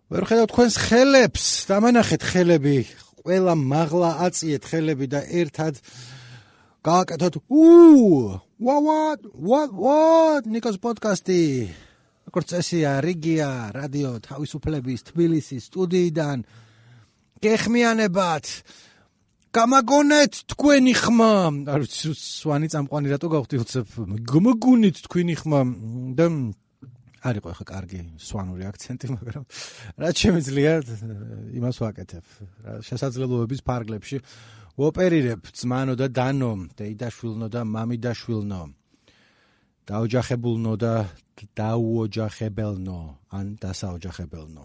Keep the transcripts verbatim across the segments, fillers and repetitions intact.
ვერ ხედავთ თქვენს ხელებს, დამანახეთ ხელები, ყველა მაღლა აწიეთ ხელები და ერთად გააკეთოთ უ what what what ნიკოს პოდკასტი. როგორც წესია, რიგია, რადიო თავისუფლების თბილისის სტუდიიდან გეხმიანებათ. გამაგონეთ თქვენი ხმა. არ ვიცი, სვანი წამყვანი რატო გავხდი უცებ. გამაგონეთ თქვენი ხმა და არ იყო ახლა კარგი სვანური აქცენტი, მაგრამ რაც შემიძლია იმას ვაკეთებ. შესაძლებლობების ფარგლებში ვოპერირებ ძმანო და დანო, დეიდაშვილნო და მამიდაშვილნო. დაოჯახებულნო და დაუოჯახებელნო, ან დასაოჯახებელნო.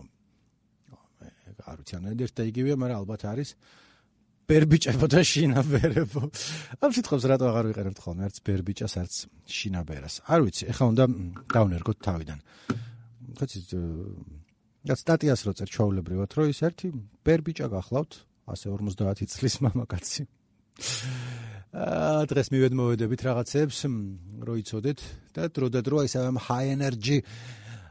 არ ვიცი, ან ერთ და იგივეა, მაგრამ ალბათ არის ბერბიჭებო და შინაბერებო. ამ სიტყვებს რატო აღარ ვიყენებთ ხოლმე, არც ბერბიჭას, არც შინაბერას. არ ვიცი, ეხლა უნდა დავნერგოთ თავიდან. ხოცი რაც სტატიას რო წერ ჩაულებრივად, რომ ის ერთი ბერბიჭა გახლავთ, ასე ორმოცდაათი წლის მამაკაცი. აა დღეს მივედმოვედებით რაღაცებს, რო იცოდეთ და დრო და დრო ისე high energy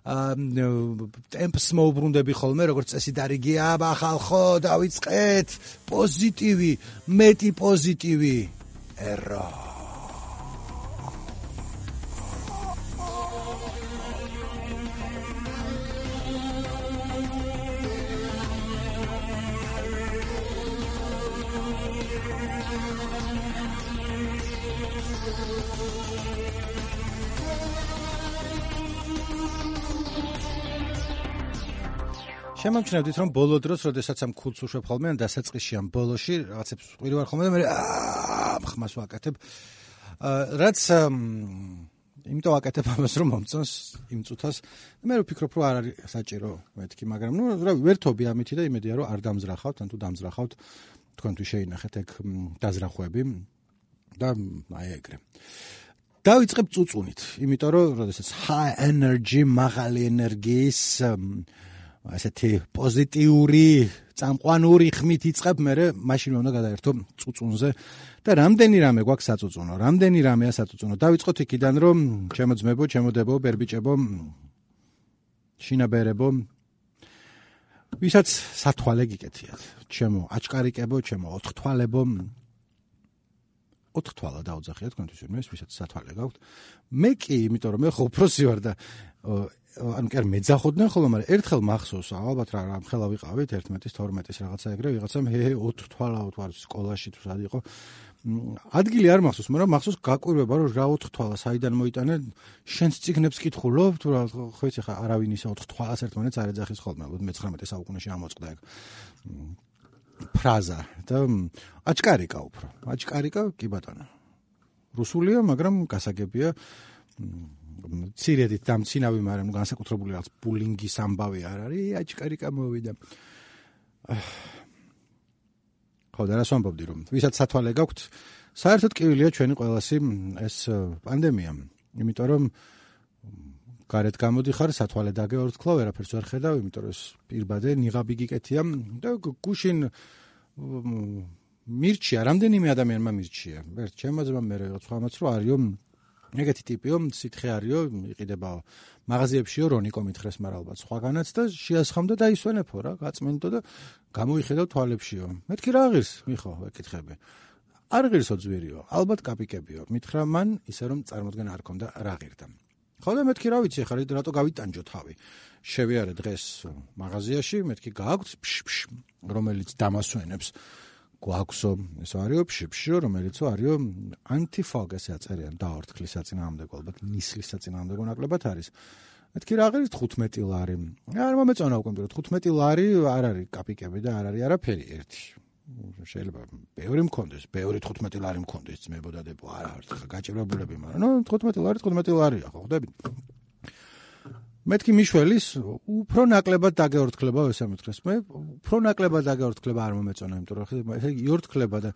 ტემპს მოუბრუნდები ხოლმე, როგორც წესი დარიგია, ახალხო, დავიწყეთ, პოზიტივი, მეტი პოზიტივი. ერა. შემამჩნევდით, რომ ბოლო დროს, როდესაც ამ ქულს უშვებ ხოლმე, ან დასაწყისში ამ ბოლოში, რაღაცებს ვყვირი ვარ ხოლმე და მე ხმას ვაკეთებ. რაც იმიტომ ვაკეთებ ამას, რომ მომწონს იმ წუთას. მე ვფიქრობ, რომ არ არის საჭირო მეთქი, მაგრამ ნუ რა ვერთობი ამითი და იმედია, რომ არ დამზრახავთ, ან თუ დამზრახავთ, თქვენთვის შეინახეთ ეგ დაზრახვები და აი ეგრე. დავიწყებ წუწუნით, იმიტომ რომ როდესაც high energy, მაღალი ენერგიის ასეთი პოზიტიური, წამყვანური ხმით იწყებ, მე მაშინ უნდა გადაერთო წუწუნზე და რამდენი რამე გვაქვს საწუწუნო, რამდენი რამეა საწუწუნო. დავიწყოთ იქიდან, რომ ჩემო ძმებო, ჩემო დებო, ბერბიჭებო, შინაბერებო, ვისაც სათვალე გიკეთიათ, ჩემო აჭკარიკებო, ჩემო ოთხთვალებო, ოთხთვალა დაუძახიათ თქვენთვის ვინმეს, ვისაც სათვალე გაქვთ. მე კი, იმიტომ რომ მე ხო უფროსი ვარ და ანუ კი არ მეძახოდნენ ხოლმე, მაგრამ ერთხელ მახსოვს, ალბათ რა რამ ხელა ვიყავით ერთმეტის, თორმეტის რაღაცა ეგრე, ვიღაცამ ჰე ოთხთვალა ვარ სკოლაში თუ სად იყო. ადგილი არ მახსოვს, მაგრამ მახსოვს გაკვირვება, რომ რა ოთხთვალა საიდან მოიტანე, შენს წიგნებს კითხულობ, თუ რა ხო იცი ხა არავინ ისე ოთხთვალას ერთმანეთს არ ეძახის ხოლმე, ალბათ მეცხრამეტე საუკუნეში ამოწყდა ეგ ფრაზა და აჭკარიკა უფრო. აჭკარიკა კი ბატონო. რუსულია, მაგრამ გასაგებია. ცირედით დამცინავი, მაგრამ განსაკუთრებული რაღაც ბულინგის ამბავი არ არის, აჭკარიკა მოვიდა. ხო და რას ვამბობდი, რომ ვისაც სათვალე გაქვთ, საერთოდ კივილია ჩვენი ყველასი ეს პანდემია, იმიტომ რომ გარეთ გამოდიხარ, სათვალე დაგეორთქლა, ვერაფერს ვერ ხედავ, იმიტომ რომ ეს პირბადე ნიღაბი გიკეთია და გუშინ მირჩია, რამდენიმე ადამიანმა მირჩია. ერთ ჩემმა ძმამ, მე რაღაც ხამაც რო არისო ეგეთი ტიპიო, სითხე არისო, იყიდება მაღაზიებშიო, რონიკო მითხრეს, მაგრამ ალბათ სხვაგანაც და შეასხამდა და ისვენებო რა, გაწმენდო და გამოიხედავ თვალებშიო. მეთქი რა ღირს, მიხო, ეკითხები. არ ღირსო ძვირიო, ალბათ კაპიკებიო. მითხრა მან ისე რომ წარმოდგენა არ ქონდა რა ღირდა. ხო და მეთქი რა ვიცი, ხარ რატო გავიტანჯო თავი. შევიარე დღეს მაღაზიაში, მეთქი გააქვს ფშფშ, რომელიც დამასვენებს. გვაქვსო, ეს არისო ფშფშო, რომელიცო არისო ანტიფოგ ესე აწერიან, დაორთქლის საწინააღმდეგო, ალბათ ნისლის საწინააღმდეგო ნაკლებად არის. მეთქი რა ღირს თხუთმეტი ლარი. არ მომეწონა უკვე, რომ თხუთმეტი ლარი არ არის კაპიკები და არ არის არაფერი ერთი. შეიძლება ბევრი მქონდეს, ბევრი თხუთმეტი ლარი მქონდეს, ძმებო და დებო, არა ვართ ხა გაჭირვებულები, მაგრამ ნუ თხუთმეტი ლარი, თხუთმეტი ლარია, ხო ხვდები? მეთქი მიშველის უფრო ნაკლებად დაგეორთქლება, ესე მითხრეს. მე უფრო ნაკლებად დაგეორთქლება არ მომეწონა, იმიტომ რომ ესე იორთქლება და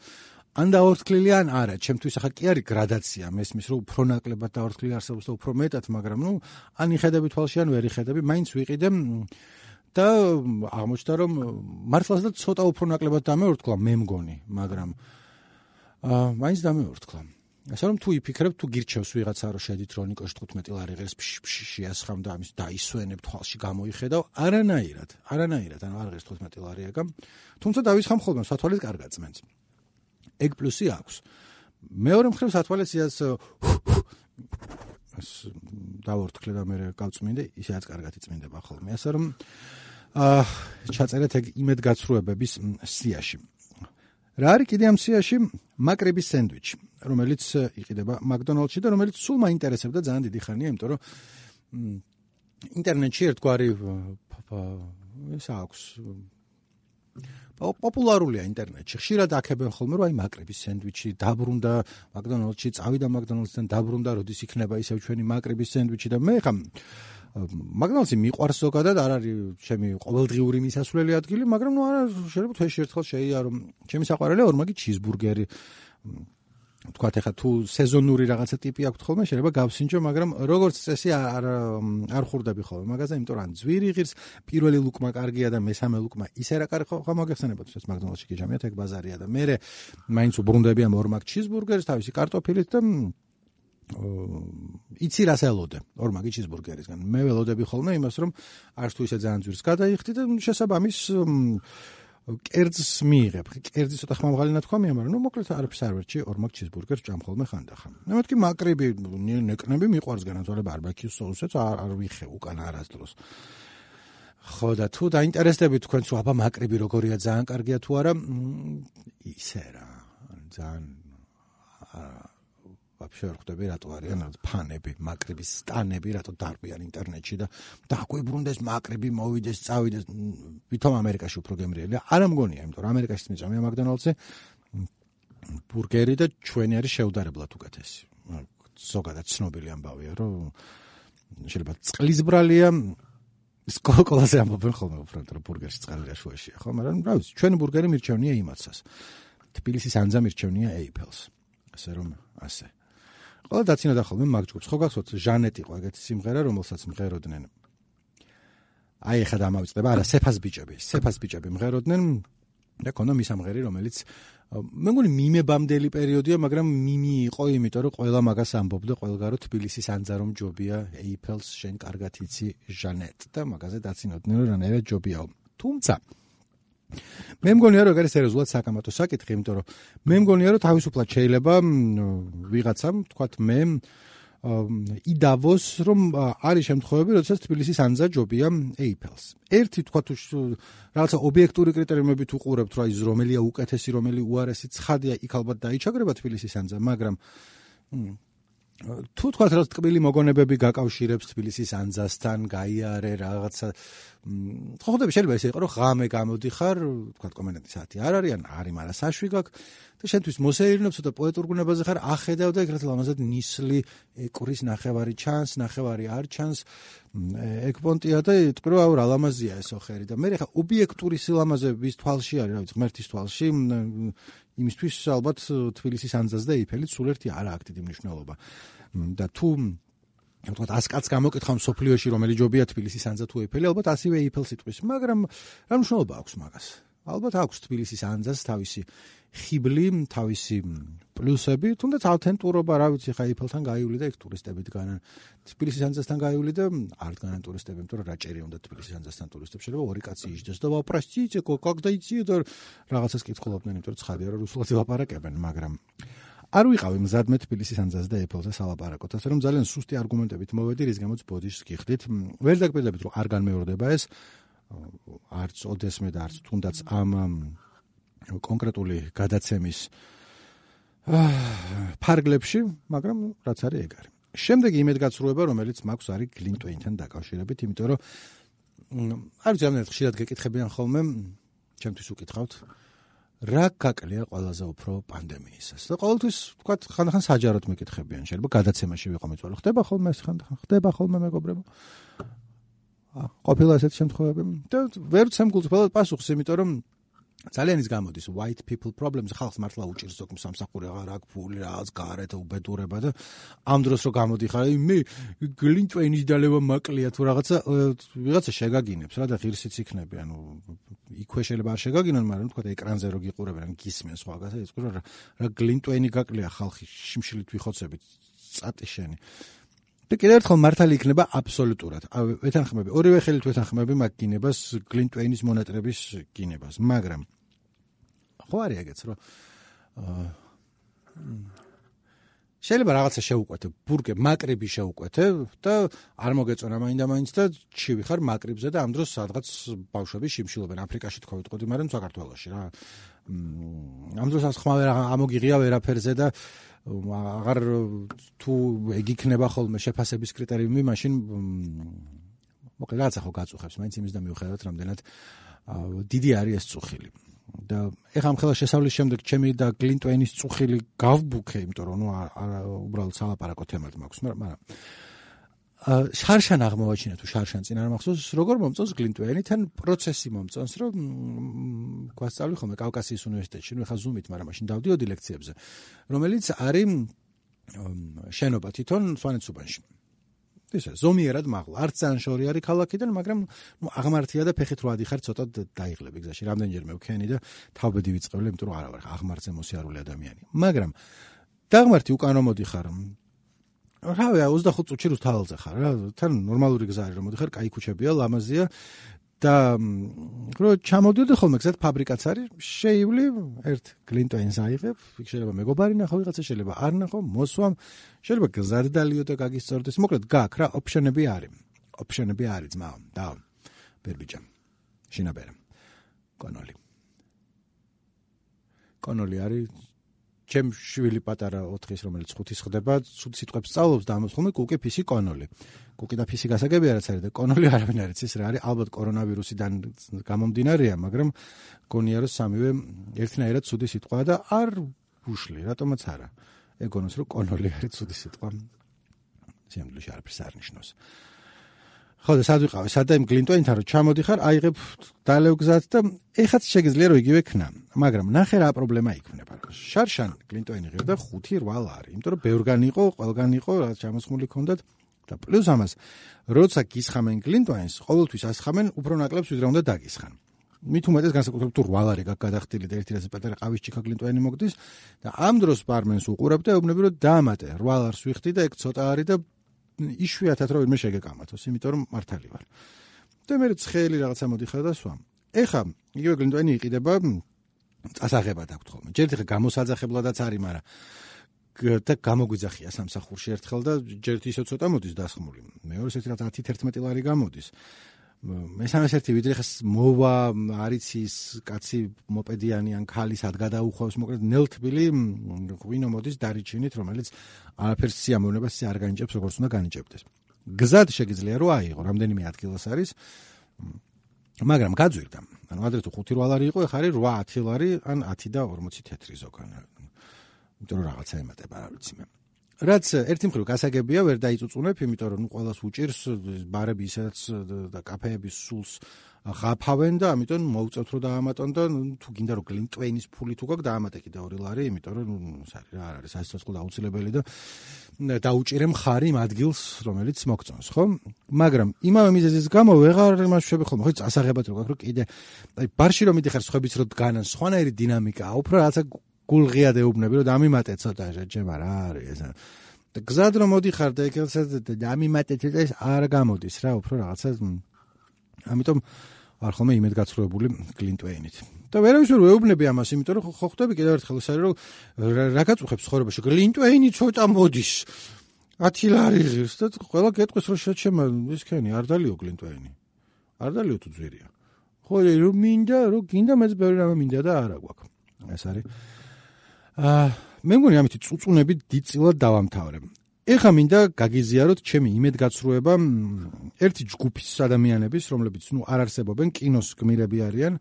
ან დაორთქლილი ან არა. ჩემთვის ახლა კი არის გრადაცია, მესმის რომ უფრო ნაკლებად დაორთქლილი არსებობს და უფრო მეტად, მაგრამ ნუ ან იხედები თვალში, ან ვერ იხედები, მაინც ვიყიდე და აღმოჩნდა რომ მართლაც და ცოტა უფრო ნაკლებად დამეორთქლა, მე მგონი, მაგრამ აა მაინც დამეორთქლა. ასე რომ თუ იფიქრებ, თუ გირჩევს ვიღაცა რომ შედით რონიკოში თხუთმეტი ლარი ღირს შეასხამ და ამის დაისვენებ თვალში გამოიხედავ, არანაირად, არანაირად, ანუ არ ღირს თხუთმეტი ლარი ეგა. თუმცა დავისხამ ხოლმე სათვალეთ კარგად წმენს. ეგ პლუსი აქვს. მეორე მხრივ სათვალეთ სიას დავორთქლე და მე გავწმინდე, ისეაც კარგად იწმინდება ხოლმე. ასე რომ აა ჩაწერეთ ეგ იმედგაცრუებების სიაში. რა არის კიდე ამ სიაში? მაკრიბის სენდვიჩი, რომელიც იყიდება მაკდონალდსში და რომელიც სულ მაინტერესებდა ძალიან დიდი ხანია, იმიტომ რომ ინტერნეტში ერთგვარი ეს აქვს პოპულარულია ინტერნეტში. ხშირად აქებენ ხოლმე რომ აი მაკრიბის სენდვიჩი დაბრუნდა მაკდონალდსში, წავიდა მაკდონალდსთან, დაბრუნდა, როდის იქნება ისევ ჩვენი მაკრიბის სენდვიჩი და მე ხა მაკდონალდსი მიყვარს ზოგადად, არ არის ჩემი ყოველდღიური მისასვლელი ადგილი, მაგრამ ნუ არა შეიძლება თვეში ერთხელ შეიარო. ჩემი საყვარელია ორმაგი ჩიზბურგერი. თქვათ ახლა თუ სეზონური რაღაცა ტიპი აქვს ხოლმე, შეიძლება გავსინჯო, მაგრამ როგორც წესი არ არ ხურდები ხოლმე მაგაზე, იმიტომ რომ ძვირი ღირს, პირველი ლუკმა კარგია და მესამე ლუკმა ისე რა კარგი ხო მოგეხსენებათ, ეს მაკდონალდსში გიჟამიათ, ეგ ბაზარია და მე მაინც უბრუნდები ამ ორმაგ ჩიზბურგერს თავისი კარტოფილით და იცი რას ელოდე ორმაგი ჩიზბურგერისგან. მე ველოდები ხოლმე იმას, რომ არც თუ ისე ძალიან ძვირს გადაიხდი და შესაბამის კერძს მიიღებ. კერძი ცოტა ხმამაღალი ნათქვამია, მაგრამ ნუ მოკლედ არაფერს არ ვერჩი, ორმაგ ჩიზბურგერს ჭამ ხოლმე ხანდახან. მეთქი მაკრიბი ნეკნები მიყვარს განათვალე ბარბეკიუს соусებს არ ვიხე უკან არასდროს. ხო და თუ დაინტერესდებით თქვენც რომ აბა მაკრიბი როგორია, ძალიან კარგია თუ არა, ისე რა. ძალიან вообще არ ხვდები რატო არიან ფანები, მაკრიბის სტანები, რატო დარბიან ინტერნეტში და დაგვიბრუნდეს მაკრიბი, მოვიდეს, წავიდეს. ვითომ ამერიკაში უფრო გემრიელია? არა მგონია, იმიტომ რომ ამერიკაში მიწამია მაკდონალდსზე ბურგერი და ჩვენი არის შეუდარებლად უკეთესი. ზოგადად ცნობილი ამბავია, რომ შეიძლება წყლის ბრალია ის კოლკოლაზე ამბობენ ხოლმე უბრალოდ რომ ბურგერში წყალი გაშუაშია, ხო? მაგრამ რა ვიცი, ჩვენი ბურგერი მირჩევნია იმაცას. თბილისის ანძა მირჩევნია ეიფელს. ასე რომ ასე ყველა დაცინოდა ხოლმე მაგჯგუფს. ხო გახსოვთ, ჟანეტ იყო ეგეთი სიმღერა, რომელსაც მღეროდნენ. აი ეხლა დამავიწყდება, არა, სეფას ბიჭები, სეფას ბიჭები მღეროდნენ და ქონდა მისამღერი, რომელიც მე მგონი მიმებამდელი პერიოდია, მაგრამ მიმი იყო, იმიტომ რომ ყველა მაგას ამბობდა, ყველგან რომ თბილისის ანძა რომ ჯობია, ეიფელს შენ კარგად იცი ჟანეტ და მაგაზე დაცინოდნენ, რომ რანაირად ჯობიაო. თუმცა მე მგონია რომ ეგ არის სერიოზულად საკამათო საკითხი, იმიტომ რომ მე მგონია რომ თავისუფლად შეიძლება ვიღაცამ, თქვათ მე იდავოს, რომ არის შემთხვევები, როდესაც თბილისის ანძა ჯობია ეიფელს. ერთი თქვათ რაღაცა ობიექტური კრიტერიუმებით უყურებთ, რა ის რომელია უკეთესი, რომელი უარესი, ცხადია, იქ ალბათ დაიჩაგრება თბილისის ანძა, მაგრამ თუ თქვათ რომ ტკბილი მოგონებები გაკავშირებს თბილისის ანძასთან, გაიარე რაღაცა ხო ხდება შეიძლება ესე იყოს რომ ღამე გამოდიხარ, თქვათ კომენდანტის საათი არ არის, ან არის, მაგრამ საშვი გაქვს და შენთვის მოსეირნებ ცოტა პოეტურ გუნებაზე ხარ, ახედავ და ეგრეთ ლამაზად ნისლი ეკვრის ნახევარი ჩანს, ნახევარი არ ჩანს, ეგ პონტია და ტყრო აუ რა ლამაზია ეს ოხერი და მე ხა ობიექტური სილამაზების თვალში არის, რა ვიცი, ღმერთის თვალში იმისთვის ალბათ თბილისის ანძას და ეიფელი სულ ერთი არა აქვს დიდი მნიშვნელობა. და თუ თქვათ ას კაც გამოკითხავ სოფლიოში რომელი ჯობია თბილისის ანძა თუ ეიფელი, ალბათ ასივე ეიფელს იტყვის, მაგრამ რა მნიშვნელობა აქვს მაგას? ალბათ აქვს თბილისის ანძას თავისი ხიბლი, თავისი პლუსები, თუნდაც ავთენტურობა, რა ვიცი, ხა ეიფელთან გაივლი და ეგ ტურისტები დგანან. თბილისის ანძასთან გაივლი და არ დგანან ტურისტები, იმიტომ რომ რა ჭერი უნდა თბილისის ანძასთან ტურისტებს, შეიძლება ორი კაცი იჯდეს და ვაპრასტიце, когда идти და რაღაცას კითხულობდნენ, იმიტომ რომ ცხადია რომ რუსულად ელაპარაკებენ, მაგრამ არ ვიყავი მზადმე თბილისის ანძას და ეიფელზე სალაპარაკოთ, ასე რომ ძალიან სუსტი არგუმენტებით მოვედი, რის გამოც ბოდიშს გიხდით. ვერ დაგპირდებით, რომ არ განმეორდება ეს, არც ოდესმე და არც თუნდაც ამ კონკრეტული გადაცემის ფარგლებში, მაგრამ რაც არის ეგ არის. შემდეგი იმედგაცრუება, რომელიც მაქვს, არის გლინ ტვეინთან დაკავშირებით, იმიტომ რომ არ ვიცი, ამერად ხშირად გეკითხებიან ხოლმე, ჩემთვის უკითხავთ, რა გაკლია ყველაზე უფრო პანდემიისას. და ყოველთვის თქვათ, ხანდახან საჯაროდ მეკითხებიან, შეიძლება გადაცემაში ვიყო მეწვალე. ხდება ხოლმე ეს ხანდახან, ხდება ხოლმე მეგობრებო. ყოფილა ესეთი შემთხვევები და ვერ ვცემ გულწრფელად პასუხს, იმიტომ რომ ძალიან ის გამოდის white people problems ხალხს მართლა უჭირს ზოგ სამსახური აღარ აქვს ფული რაღაც გარეთ უბედურება და ამ დროს რო გამოდიხარ მე გლინტვეინის დალევა მაკლია თუ რაღაცა ვიღაცა შეგაგინებს რა და ღირსიც იქნები ანუ იქვე შეიძლება არ შეგაგინონ მაგრამ თქვა ეკრანზე რო გიყურებენ ან გისმენ სხვაგასა ის რა რა გლინტვეინი გაკლია ხალხი შიმშილით ვიხოცებით წატი შენი და კიდევ ერთხელ მართალი იქნება აბსოლუტურად ვეთანხმები ორივე ხელით ვეთანხმები მაგ გინებას გლინტვეინის მონატრების გინებას მაგრამ ხო არის ეგეც რომ შეიძლება რაღაცა შეუკვეთე ბურგე მაკრიბი შეუკვეთე და არ მოგეწონა მაინდა მაინც და ჩივი ხარ მაკრიბზე და ამ დროს სადღაც ბავშვები შიმშილობენ აფრიკაში თქვა ვიტყოდი მაგრამ საქართველოში რა ამ დროს ახლა ვერ ამოგიღია ვერაფერზე და აღარ თუ ეგ იქნება ხოლმე შეფასების კრიტერიუმი მაშინ მოკლედ რაღაცა ხო გაწუხებს მაინც იმის და მიუხედავად რამდენად დიდი არის ეს წუხილი და ეხლა ამ ხელა შესავლის შემდეგ ჩემი და გლინტვეინის წუხილი გავბუქე იმიტომ რომ ნუ უბრალოდ სალაპარაკო თემად მაქვს მაგრამ შარშან აღმოვაჩინე თუ შარშან წინ არ მახსოვს როგორ მომწონს გლინტვეინი თან პროცესი მომწონს რომ გვასწავლი ხოლმე კავკასიის უნივერსიტეტში ნუ ეხლა ზუმით მაგრამ მაშინ დავდიოდი ლექციებზე რომელიც არის შენობა თვითონ სვანეთსუბანში ისე ზომიერად მაღლა არც ძალიან შორი არის ქალაქიდან მაგრამ ნუ აღმართია და ფეხით რო ადიხარ ცოტა დაიღლები გზაში რამდენჯერმე ვქენი და თავბედი ვიწყევლე იმიტომ რომ არა ვარ აღმართზე მოსიარული ადამიანი მაგრამ დაღმართი უკან რომ მოდიხარ რავია ოცდახუთ წუთში რუსთაველზე ხარ რა თან ნორმალური გზა არის რომ მოდიხარ კაი ქუჩებია ლამაზია და რო ჩამოდიოდი ხოლმე გზად ფაბრიკაც არის შეივლი ერთ გლინტვეინს აიღებ იქ შეიძლება მეგობარი ნახო ვიღაცა შეიძლება არ ნახო მოსვამ შეიძლება გზად დალიო და გაგისწორდეს მოკლედ გაქვს რა ოპშენები არის ოპშენები არის ძმაო და ბერბიჯა შინაბერა კონოლი კონოლი არის ჩემ შვილი პატარა ოთხის რომელიც ხუთის ხდება ცუდ სიტყვებს სწავლობს და ამას ხოლმე კუკი ფისი კონოლი კუკი და ფისი გასაგები არაც არის და კონოლი არავინ არ იცის რა არის ალბათ კორონავირუსიდან გამომდინარეა მაგრამ გონია რომ სამივე ერთნაირად ცუდი სიტყვაა და არ უშლი რატომაც არა ეგონოს რომ კონოლი არის ცუდი სიტყვა სიამოვნებაში არაფერს არ ნიშნავს ხო და სად ვიყავი სადა იმ გლინტვეინთან რომ ჩამოდიხარ აიღებ დალევ გზად და ეხაც შეგიძლია რომ იგივე ქნა მაგრამ ნახე რა პრობლემა იქნება შარშან გლინტვეინი ღირდა ხუთი რვა არის იმიტომ რომ ბევრგან იყო ყველგან იყო რაც ჩამოსხმული ქონდათ და პლუს ამას როცა გისხამენ გლინტვეინს ყოველთვის ასხამენ უფრო ნაკლებს ვიდრე უნდა დაგისხან მით უმეტეს განსაკუთრებით თუ რვა ლარი გაგადახტილი და ერთი რაზე პატარა ყავის ჭიქა გლინტვეინი მოგდის და ამ დროს ბარმენს უყურებ და ეუბნები რომ დაამატე რვა ლარს ვიხდი და ეგ ცოტა არის და იშვიათად რომ ვინმე შეგეკამათოს იმიტომ რომ მართალი ვარ და მე ცხელი რაღაცა მოდიხარ და სვამ ეხა იგივე გლინტვეინი იყიდება წასაღებად აქვს ხოლმე ჯერ ეხა გამოსაძახებლადაც არის მაგრამ და გამოგვიძახია სამსახურში ერთხელ და ჯერ ისე ცოტა მოდის დასხმული მეორეს ერთი რაღაც ათი თერთმეტი ლარი გამოდის მესამეს ერთი ვიდრე ხას მოვა არიცის კაცი მოპედიანი ან ქალი სად გადაუხვევს მოკლედ ნელთბილი ღვინო მოდის დარიჩინით რომელიც არაფერს სიამოვნებას არ განიჭებს როგორც უნდა განიჭებდეს გზად შეგიძლია რომ აიღო რამდენიმე ადგილას არის მაგრამ გაძვირდა ანუ ადრე თუ ხუთი რვა ლარი იყო ეხლა არის რვა ათი ლარი ან ათი და ორმოცი თეთრი ზოგან იმიტომ რომ რაღაცა ემატება არ ვიცი მე რაც ერთი მხრივ გასაგებია ვერ დაიწუწუნებ იმიტომ რომ ნუ ყველას უჭირს ბარები ისაც და კაფეები სულს ღაფავენ და ამიტომ მოუწევთ რომ დაამატონ და თუ გინდა რომ გლინტვეინის ფული თუ გაქვს დაამატე კიდე ორი ლარი იმიტომ რომ ნუ სარი რა არ არის სასიცოცხლო აუცილებელი და დაუჭირე მხარი იმ ადგილს რომელიც მოგწონს ხო მაგრამ იმავე მიზეზის გამო ვეღარ იმაშვები ხოლმე ხო წასაღებად რო გაქვს რომ კიდე აი ბარში რომ მიდიხარ სხვებიც რომ დგანან სხვანაირი დინამიკაა უფრო რაღაცა გულღიად ეუბნები რომ დამიმატე ცოტა ჯემა რა არის ეს და გზად რომ მოდიხარ და ეკელსა დამიმატე ცოტა ეს არ გამოდის რა უფრო რაღაცა ამიტომ არ ხოლმე იმედგაცრუებული გლინტვეინით და ვერავის ვერ ეუბნები ამას იმიტომ რომ ხო ხვდები კიდევ ერთხელ ეს არის რომ რა გაწუხებს ცხოვრებაში გლინტვეინი ცოტა მოდის ათი ლარი ღირს და ყველა გეტყვის რომ შეჩემა ის ქენი არ დალიო გლინტვეინი არ დალიო თუ ძვირია ხო რომ მინდა რომ გინდა მეც ბევრი რამე მინდა და არა გვაქვს ეს არის აა მე მგონი ამით წუწუნები დიდწილად დავამთავრებ. ეხლა მინდა გაგიზიაროთ ჩემი იმედგაცრუება ერთი ჯგუფის ადამიანების, რომლებიც ნუ არ არსებობენ, კინოს გმირები არიან.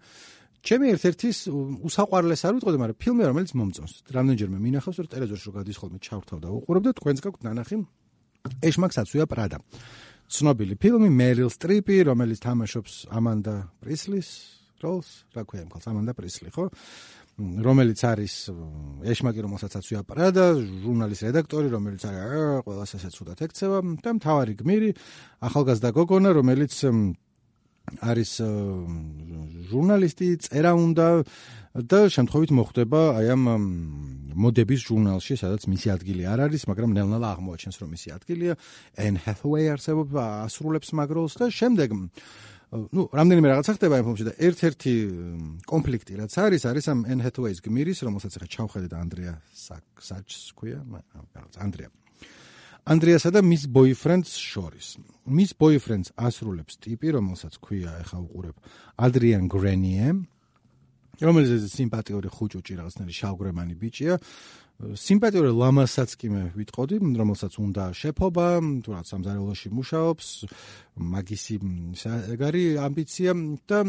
ჩემი ერთ-ერთის უსაყვარლეს არ ვიტყოდი, მაგრამ ფილმი რომელიც მომწონს. რამდენჯერმე მინახავს, რომ ტელევიზორში რო გადის ხოლმე ჩავთავ და უყურებ და თქვენს გაქვთ ნანახი ეშმაკსაცვია პრადა. ცნობილი ფილმი, მერილ სტრიპი, რომელიც თამაშობს ამანდა პრისლის როლს, რა ქვია იმ ქალს, ამანდა პრისლი, ხო? რომელიც არის ეშმაკი, რომელსაც აწვია და ჟურნალის რედაქტორი, რომელიც არის ყველას ასე ცუდად ეკცევა და მთავარი გმირი, ახალგაზრდა გოგონა, რომელიც არის ჟურნალისტი, წერა უნდა და შემთხვევით მოხვდება აი ამ მოდების ჟურნალში, სადაც მისი ადგილი არ არის, მაგრამ ნელ-ნელა აღმოაჩენს, რომ მისი ადგილია. Anne Hathaway არსებობს, ასრულებს მაგ როლს და შემდეგ ну, რამდენიმე რაღაცა ხდება იმ ფილმში და ერთ-ერთი კონფლიქტი რაც არის, არის ამ Anne Hathaway-ის გმირის, რომელსაც ახლა ჩავხედეთ Andrea Sachs ქვია, Andrea. Andrea-სა და მის boyfriend-ს შორის. მის boyfriend-ს ასრულებს ტიპი, რომელსაც ქვია, ახლა უყურებ, Adrian Grenier, რომელიც სიმპათიური ხუჭუჭი რაღაცნაირი შავგრემანი ბიჭია. სიმპათიური ლამასაც კი მე ვიტყოდი, რომელსაც უნდა შეფობა, თუ რა სამზარეულოში მუშაობს, მაგისი ეგარი ამბიცია და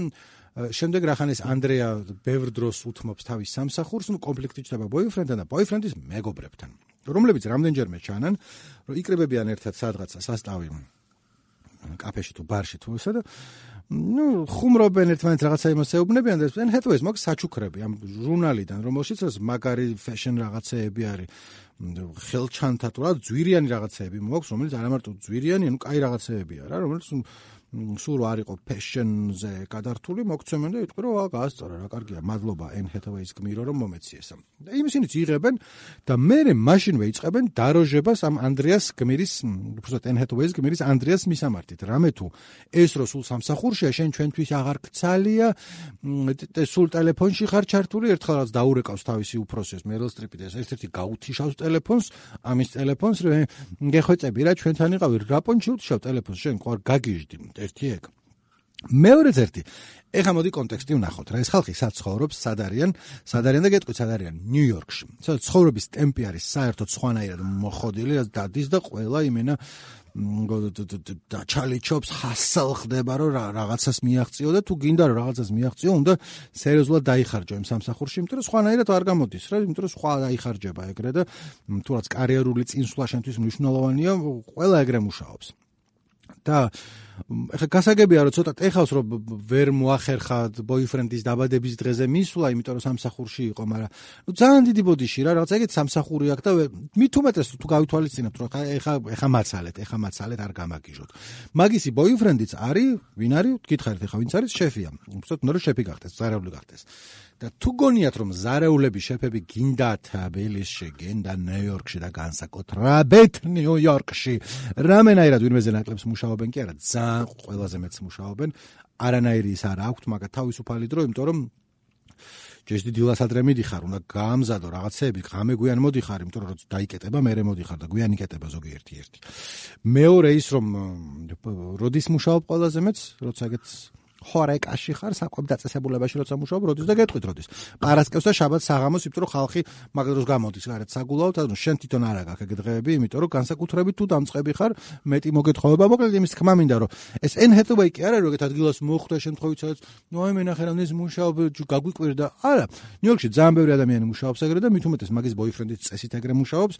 შემდეგ რახანეს ანდრეა ბევრ დროს უთმობს თავის სამსახურს, ну კონფლიქტი ჩდება boyfriend-თან და boyfriend-ის მეგობრებთან, რომლებიც რამდენჯერმე ჩანან, რომ იკრებებიან ერთად სადღაცა სასტავი კაფეში თუ ბარში თუ ესა და ну, ხუმრობენ ერთმანეთს რაღაცა იმას ეუბნებიან და Anne Hathaway-ს მაქვს საჩუქრები ამ ჟურნალიდან, რომელშიც მაგარი fashion რაღაცეები არის, ხელჩანთა თუ რა, ძვირიანი რაღაცეები მაქვს, რომელიც არა მარტო ძვირიანი, ანუ კაი რაღაცეებია რა, რომელიც სულ არ იყო fashion-ზე გადართული, მოგცემენ და იტყვი რომ გაასწორა რა, კარგია, მადლობა Anne Hathaway-ის გმირო რომ მომეციესა. და იმისინიც იღებენ და მერე მაშინვე იწყებენ დაროჟებას ამ Andreas გმირის, უბრალოდ Anne Hathaway-ის გმირის Andreas მისამართით. რამე თუ ეს რო სულ სამსახურშია, შენ ჩვენთვის აღარ გცალია, სულ ტელეფონში ხარ ჩართული, ერთხელ რაც დაურეკავს თავისი უფროსის Meryl Streep-ი და ერთ-ერთი გაუთიშავს ტელეფონს, ამის ტელეფონს, გეხვეწები რა, ჩვენთან იყავი, რა პონჩი უთიშავ ტელეფონს, შენ ყوار გაგიჟდი. ერთი ეგ. მეორეც ერთი. ეხლა მოდი კონტექსტი ვნახოთ რა. ეს ხალხი სად ცხოვრობს, სად არიან, სად არიან და გეტყვით, სად არიან? ნიუ-იორკში. სადაც ცხოვრების ტემპი არის საერთოდ სხვანაირად მოხოდილი, დადის და ყველა იმენა და ჩალიჩობს, ჰასალ ხდება, რომ რაღაცას მიაღწიო და თუ გინდა რომ რაღაცას მიაღწიო, უნდა სერიოზულად დაიხარჯო იმ სამსახურში, იმიტომ რომ სხვანაირად არ გამოდის რა, იმიტომ რომ სხვა დაიხარჯება ეგრე და თუ რაც კარიერული წინსვლა შენთვის მნიშვნელოვანია, ყველა ეგრე მუშაობს. და ეხლა გასაგებია რომ ცოტა ეხავს რომ ვერ მოახერხა boyfriend-ის დაბადების დღეზე მისვლა, იმიტომ რომ სამსახურში იყო, მაგრამ ნუ ძალიან დიდი ბოდიში რა, რაღაც ეგეთ სამსახური აქვს და მით უმეტეს თუ გავითვალისწინებთ რომ ეხა ეხა მაცალეთ, ეხა მაცალეთ არ გამაგიჟოთ. მაგისი boyfriend-იც არის, ვინ არის? გითხარით ეხა ვინც არის? შეფია. უბრალოდ უნდა რომ შეფი გახდეს, ზარეული გახდეს. და თუ გონიათ რომ ზარეულები შეფები გინდათ თბილისში, გინდა ნიუ-იორკში და განსაკუთრებით ნიუ-იორკში, რამენაირად ვინმეზე ნაკლებს მუშაობენ კი არა, ძალიან ყველაზე მეც მუშაობენ, არანაირი ის არ აქვთ, მაგრამ თავისუფალი დრო, იმიტომ რომ ჯეშდი დილას ადრე მიდიხარ, უნდა გაამზადო რაღაცეები, ღამე გვიან მოდიხარ, იმიტომ რომ დაიკეტება, მერე მოდიხარ და გვიან იკეტება ზოგიერთი ერთი. მეორე ის რომ როდის მუშაობ ყველაზე მეც, როცა ეგეთ ხორეკაში ხარ, საკვებ დაწესებულებაში როცა მუშაობ, როდის და გეტყვით როდის. პარასკევს და შაბათს საღამოს, იმიტომ რომ ხალხი მაგ დროს გამოდის გარეთ საგულავთ, ანუ შენ თვითონ არა გაქვს ეგ დღეები, იმიტომ რომ განსაკუთრებით თუ დამწყები ხარ, მეტი მოგეთხოვება, მოკლედ იმის თქმა მინდა რომ ეს Anne Hathaway კი არა, რომ ეგეთ ადგილას მოხვდა შემთხვევით, სადაც ნუ აი მენახე რამდენიც მუშაობ, გაგვიკვირდა. არა, ნიუ-იორკში ძალიან ბევრი ადამიანი მუშაობს ეგრე და მით უმეტეს მაგის boyfriend-იც წესით ეგრე მუშაობს.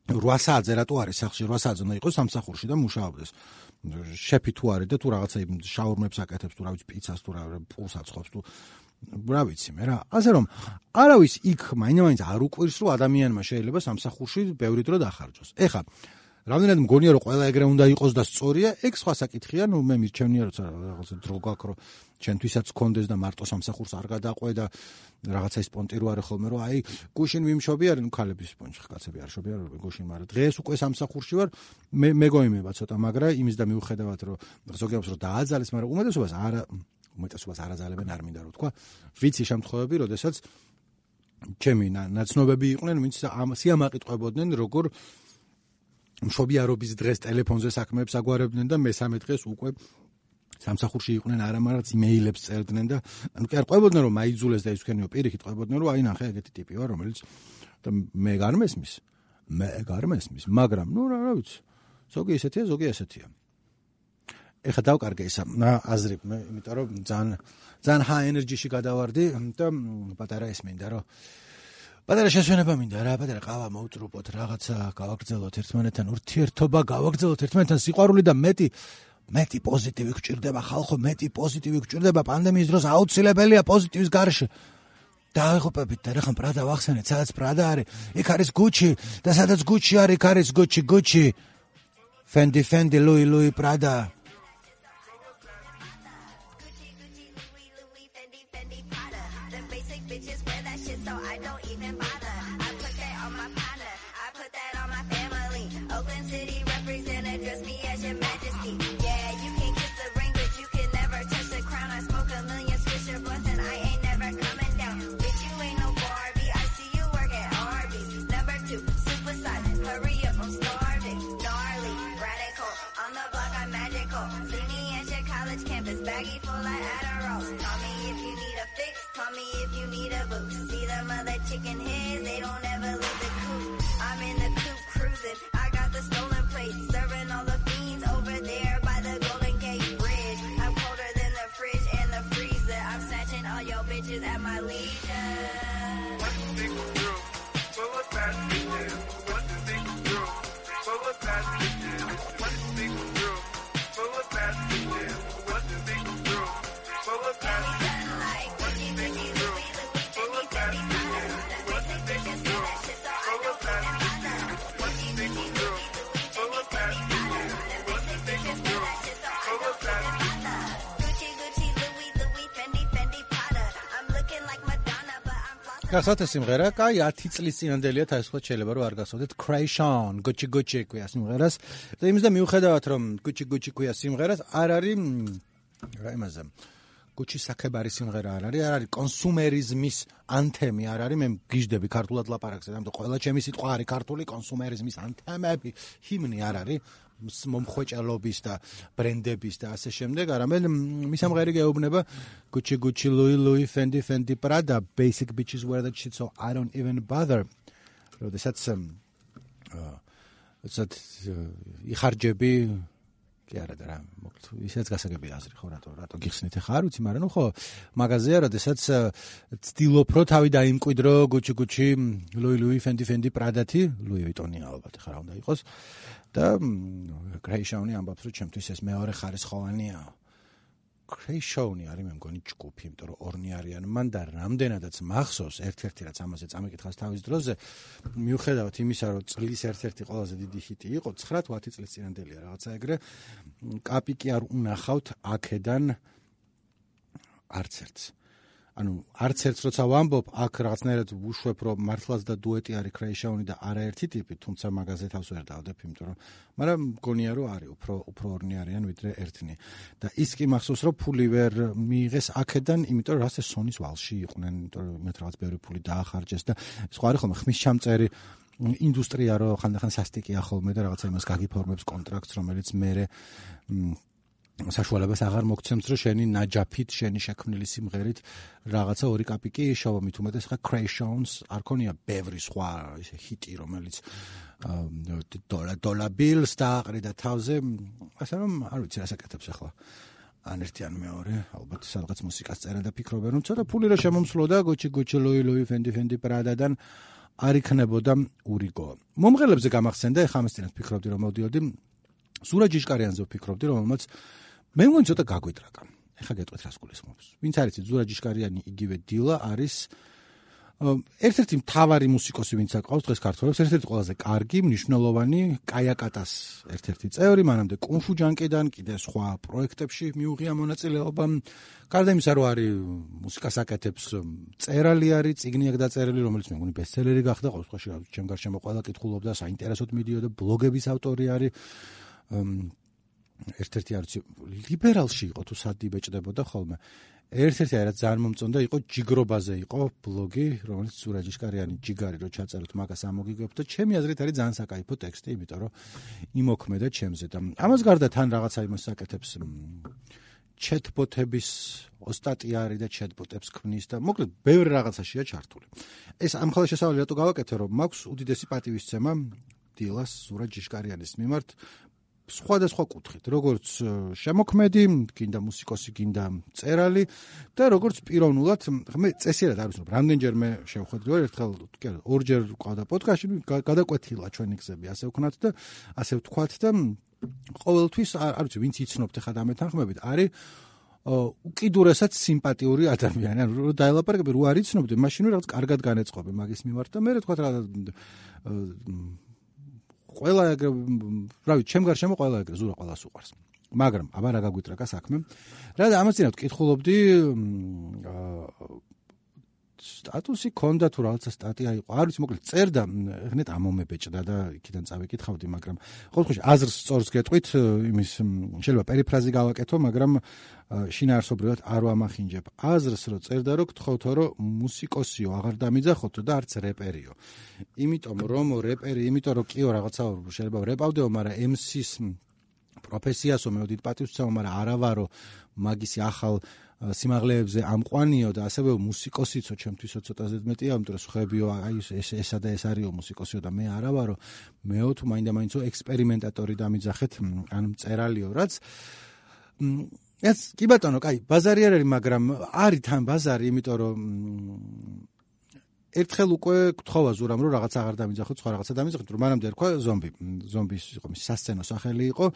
რვა საათზე რატო არის სახლში, რვა საათზე უნდა იყოს სამსახურში და მუშაობდეს. შეფი თუ არის და თუ რაღაცა შაურმებს აკეთებს, თუ რა ვიცი, პიცას თუ რა პულს აცხობს თუ რა ვიცი მე რა. ასე რომ არავის იქ მაინც არ უყვირს, რომ ადამიანმა შეიძლება სამსახურში ბევრი დრო დახარჯოს. ეხლა რამდენად მგონია რომ ყველა ეგრე უნდა იყოს და სწორია, ეგ სხვა საკითხია, ნუ მე მირჩევნია როცა რაღაცა დრო გაქვს, რომ ჩვენთვისაც გქონდეს და მარტო სამსახურს არ გადაყვე და რაღაცა სპონტირო არის ხოლმე, რომ აი გუშინ ვიმშობი არის, ნუ ქალების სპონჯი კაცები არ შობი არის გუშინ, მაგრამ დღეს უკვე სამსახურში ვარ, მე მეგოიმება ცოტა, მაგრამ იმის და მიუხედავად რომ ზოგიერთს რომ დააძალეს, მაგრამ უმეტესობას არა, უმეტესობას არაძალებენ, არ მინდა რომ თქვა, ვიცი შემთხვევები, როდესაც ჩემი ნაცნობები იყვნენ, ვინც სიამაყი როგორ მშობიარობის დღეს ტელეფონზე საქმეებს აგვარებდნენ და მესამე დღეს უკვე სამსახურში იყვნენ, არა მაგრამ იმეილებს წერდნენ და ანუ კი არ ყვებოდნენ რომ მაიძულეს და ისქენიო პირიქით ყვებოდნენ რომ აი ნახე ეგეთი ტიპი ვარ, რომელიც და მე გარ მესმის. მე გარ მესმის, მაგრამ ნუ რა ვიცი. ზოგი ესეთია, ზოგი ესეთია. ეხა დავკარგე ისა აზრი, მე იმიტომ რომ ძალიან ძალიან high energy-ში გადავარდი და პატარა ეს მინდა რომ პატარა შესვენება მინდა რა, პატარა ყავა მოვტრუპოთ, რაღაცა გავაგრძელოთ ერთმანეთთან ურთიერთობა, გავაგრძელოთ ერთმანეთთან სიყვარული და მეტი მეტი პოზიტივი გჭირდება ხალხო, მეტი პოზიტივი გჭირდება პანდემიის დროს, აუცილებელია პოზიტივის გარშე. დაიღუპებით და რახან პრადა ვახსენეთ, სადაც პრადა არის, იქ არის გუჩი და სადაც გუჩი არის, იქ არის გუჩი, გუჩი. Fendi, Fendi, Louis, Louis, Prada. Chicken heads, they don't ever leave the coop. I'm in the coop cruising. I got the stolen plates, serving all the fiends over there by the Golden Gate Bridge. I'm colder than the fridge and the freezer. I'm snatching all your bitches at my leisure. What you think is true? Full of bad bitches. What you think is true? Full of bad bitches. What you think is true? Full of bad bitches. What you think is true? Full of bad bitches. What you think is true? Full of bad bitches. გასავთ ეს სიმღერა, კაი, ათი წლის წინანდელია, თავისუფლად შეიძლება რომ არ გასავდეთ. Kreation, Gucci Gucci ქვია სიმღერას. და იმის და მიუხედავად რომ Gucci Gucci ქვია სიმღერას, არ არის რა იმაზე. Gucci საკებარი სიმღერა არ არის, არ არის კონსუმერიზმის ანთემი არ არის. მე გიждები ქართულად ლაპარაკზე, ამიტომ ყველა ჩემი სიტყვა არის ქართული კონსუმერიზმის ანთემები, ჰიმნი არ არის. მომხვეჭალობის და ბრენდების და ასე შემდეგ, არამედ მისამღერი გეუბნება Gucci Gucci Louis Louis Fendi Fendi Prada basic bitches wear that shit so I don't even bother. როდესაც ეცად იხარჯები კი არა და რა მოკლედ ისეც გასაგები აზრი ხო რატო რატო გიხსნით ახლა არ ვიცი მაგრამ ნუ ხო მაღაზია როდესაც ცდილობ რო თავი დაიმკვიდრო Gucci Gucci Louis Louis Fendi Fendi Prada-თი Louis Vuitton-ი ალბათ ახლა რა უნდა იყოს და Kreation-ი ამბობს რომ ჩემთვის ეს მეორე ხარისხოვანია Kreation-ი არის მე მგონი ჯგუფი იმიტომ რომ ორნი არიან მან და რამდენადაც მახსოვს ერთ-ერთი რაც ამაზე წამიკითხავს თავის დროზე მიუხედავად იმისა რომ წლის ერთ-ერთი ყველაზე დიდი ჰიტი იყო ცხრა თუ ათი წლის წინანდელია რაღაცა ეგრე კაპიკი არ უნახავთ აქედან არც ერთს ანუ არც ერთს როცა ვამბობ აქ რაღაცნაირად ვუშვებ რომ მართლაც და დუეტი არის Kreation-ი და არაერთი ტიპი თუმცა მაგაზე თავს ვერ დავდებ იმიტომ რომ მაგრამ მგონია რომ არის უფრო უფრო ორნი არიან ვიდრე ერთნი და ის კი მახსოვს რომ ფული ვერ მიიღეს აქედან იმიტომ რომ რასაც სონის ვალში იყვნენ იმიტომ რომ მე რაღაც ბევრი ფული დაახარჯეს და სხვა არის ხოლმე ხმის ჩამწერი ინდუსტრია რო ხანდახან სასტიკია ხოლმე და რაღაცა იმას გაგიფორმებს კონტრაქტს რომელიც მე საშუალებას აღარ მოგცემს რომ შენი ნაჯაფით შენი შექმნილი სიმღერით რაღაცა ორი კაპიკი შოვა მით უმეტეს ხა Kreation-ს არ ქონია ბევრი სხვა ისე ჰიტი რომელიც დოლა დოლა ბილს დააყრიდა თავზე ასე რომ არ ვიცი რა საკეთებს ახლა ან ერთი ან მეორე ალბათ სადღაც მუსიკას წერენ და ფიქრობენ რომ ცოტა ფული რა შემომსვლოდა Gucci Gucci Louis Louis Fendi Fendi Prada-დან არ იქნებოდა ურიგო მომღერლებზე გამახსენდა ეხლა ამის წინათ ფიქრობდი რომ მოდიოდი სურაჯ ჟიშკარიანზე ვფიქრობდი რომელმაც მე მგონი ცოტა გაგვიტრაკა. ეხლა გეტყვით რას გულისხმობს. ვინც არის ზურაჯ ჟიშკარიანი იგივე დილა არის ერთ-ერთი მთავარი მუსიკოსი ვინც აკყავს დღეს ქართველებს, ერთ-ერთი ყველაზე კარგი, მნიშვნელოვანი კაიაკატას ერთ-ერთი წევრი, მანამდე კუნფუ ჯანკიდან კიდე სხვა პროექტებში მიუღია მონაწილეობა. გარდა იმისა, რომ არის მუსიკას აკეთებს, წერალი არის, წიგნი აქვს დაწერილი, რომელიც მე მგონი ბესტსელერი გახდა, ყოველ შემთხვევაში ჩემ გარშემო ყველა კითხულობდა, საინტერესოდ მიდიოდა, ბლოგების ავტორი არის. ერთ-ერთი არის ლიბერალში იყო თუ სად იბეჭდებოდა ხოლმე ერთ-ერთი არის ძალიან მომწონდა იყო ჯიგრობაზე იყო ბლოგი რომელიც სურაჯ ჟიშკარიანი ჯიგარი რო ჩაწეროთ მაგას ამოგიგებთ და ჩემი აზრით არის ძალიან საკაიფო ტექსტი იმიტომ რომ იმოქმედა ჩემზე და ამას გარდა თან რაღაცა იმას აკეთებს ჩეტბოტების ოსტატი არის და ჩეტბოტებს ქმნის და მოკლედ ბევრი რაღაცაშია ჩართული ეს ამ ხოლმე შესავალი რატო გავაკეთე რომ მაქვს უდიდესი პატივისცემა დილას სურაჯ ჟიშკარიანის მიმართ სხვადასხვა კუთხით, როგორც შემოქმედი, გინდა მუსიკოსი, გინდა წერალი და როგორც პიროვნულად, მე წესიერად არ ვიცნობ, რამდენჯერმე შევხვედრი ვარ, ერთხელ კი არა, ორჯერ ყავდა პოდკასტში, გადაკვეთილა ჩვენი გზები, ასე ვქნათ და ასე ვთქვათ და ყოველთვის არ ვიცი ვინც იცნობთ ხა და მეთანხმებით არის უკიდურესად სიმპათიური ადამიანი. ანუ დაელაპარაკები რო არ იცნობდი, მაშინ რაღაც კარგად განეწყობი მაგის მიმართ და მე რა თქვა რა ყველა ეგრე რა ვიცი, ჩემ გარშემო ყველა ეგრე ზურა ყველას უყვარს. მაგრამ აბა რა გაგვიტრაკა საქმე. რა და ამაცინავთ კითხულობდი სტატუსი ქონდა თუ რაღაცა სტატია იყო. არ ვიცი, მოკლედ წერდა, ხნეთ ამომებეჭდა და იქიდან წავიკითხავდი, მაგრამ ყოველ შემთხვევაში აზრს სწორს გეტყვით, იმის შეიძლება პერიფრაზი გავაკეთო, მაგრამ შინაარსობრივად არ ვამახინჯებ. აზრს რო წერდა, რომ გთხოვთო, რომ მუსიკოსიო აღარ დამიძახოთო და არც რეპერიო. იმიტომ რომ რეპერი, იმიტომ რომ კიო რაღაცა შეიძლება რეპავდეო, მაგრამ ემ სის პროფესიასო მეოდით პატივსცემო, მაგრამ არა ვარო მაგისი ახალ სიმაღლეებზე ამყვანიო და ასევე მუსიკოსიცო ჩემთვისო ცოტა ზედმეტია, იმიტომ რომ ხებიო აი ეს ესა და ეს არისო მუსიკოსიო და მე არა ვარო, მეო თუ მაინდა-მაინცო ექსპერიმენტატორი დამიძახეთ, ან მწერალიო, რაც ეს კი ბატონო, კაი, ბაზარი არ არის, მაგრამ არის თან ბაზარი, იმიტომ რომ ერთხელ უკვე გთხოვა ზურამ რომ რაღაც აღარ დამიძახოთ, სხვა რაღაცა დამიძახოთ, რომ მანამდე ერქვა ზომბი. ზომბის იყო მის სასცენო სახელი იყო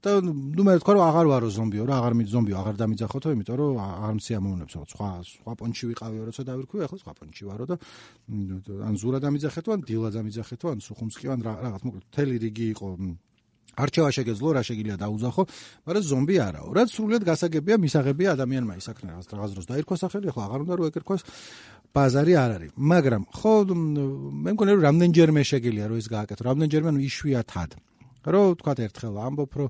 და ნუ მე თქვა რომ აღარ ვარო ზომბიო, რა აღარ მით ზომბიო, აღარ დამიძახოთო, იმიტომ რომ აღარ მციამოვნებს, რომ სხვა სხვა პონჩი ვიყავიო, როცა დავირქვი, ახლა სხვა პონჩი ვარო და ან ზურა დამიძახეთო, ან დილა დამიძახეთო, ან სუხუმსკი, ან რაღაც მოკლედ მთელი რიგი იყო. არჩევა შეგეძლო, რა შეგიძლია დაუძახო, მაგრამ ზომბი არაო. რაც სრულიად გასაგებია, მისაღებია ადამიანმა ისაქნა რაღაც რაღაც დროს დაირქვა სახელი, ახლა აღარ უნდა რომ ეკერქვას, ბაზარი არ არის. მაგრამ ხო მე მგონია რომ რამდენჯერმე შეგიძლია რომ ეს გააკეთო, რამდენჯერმე ანუ იშვიათად. რომ თქვა ერთხელ ამბობ, რომ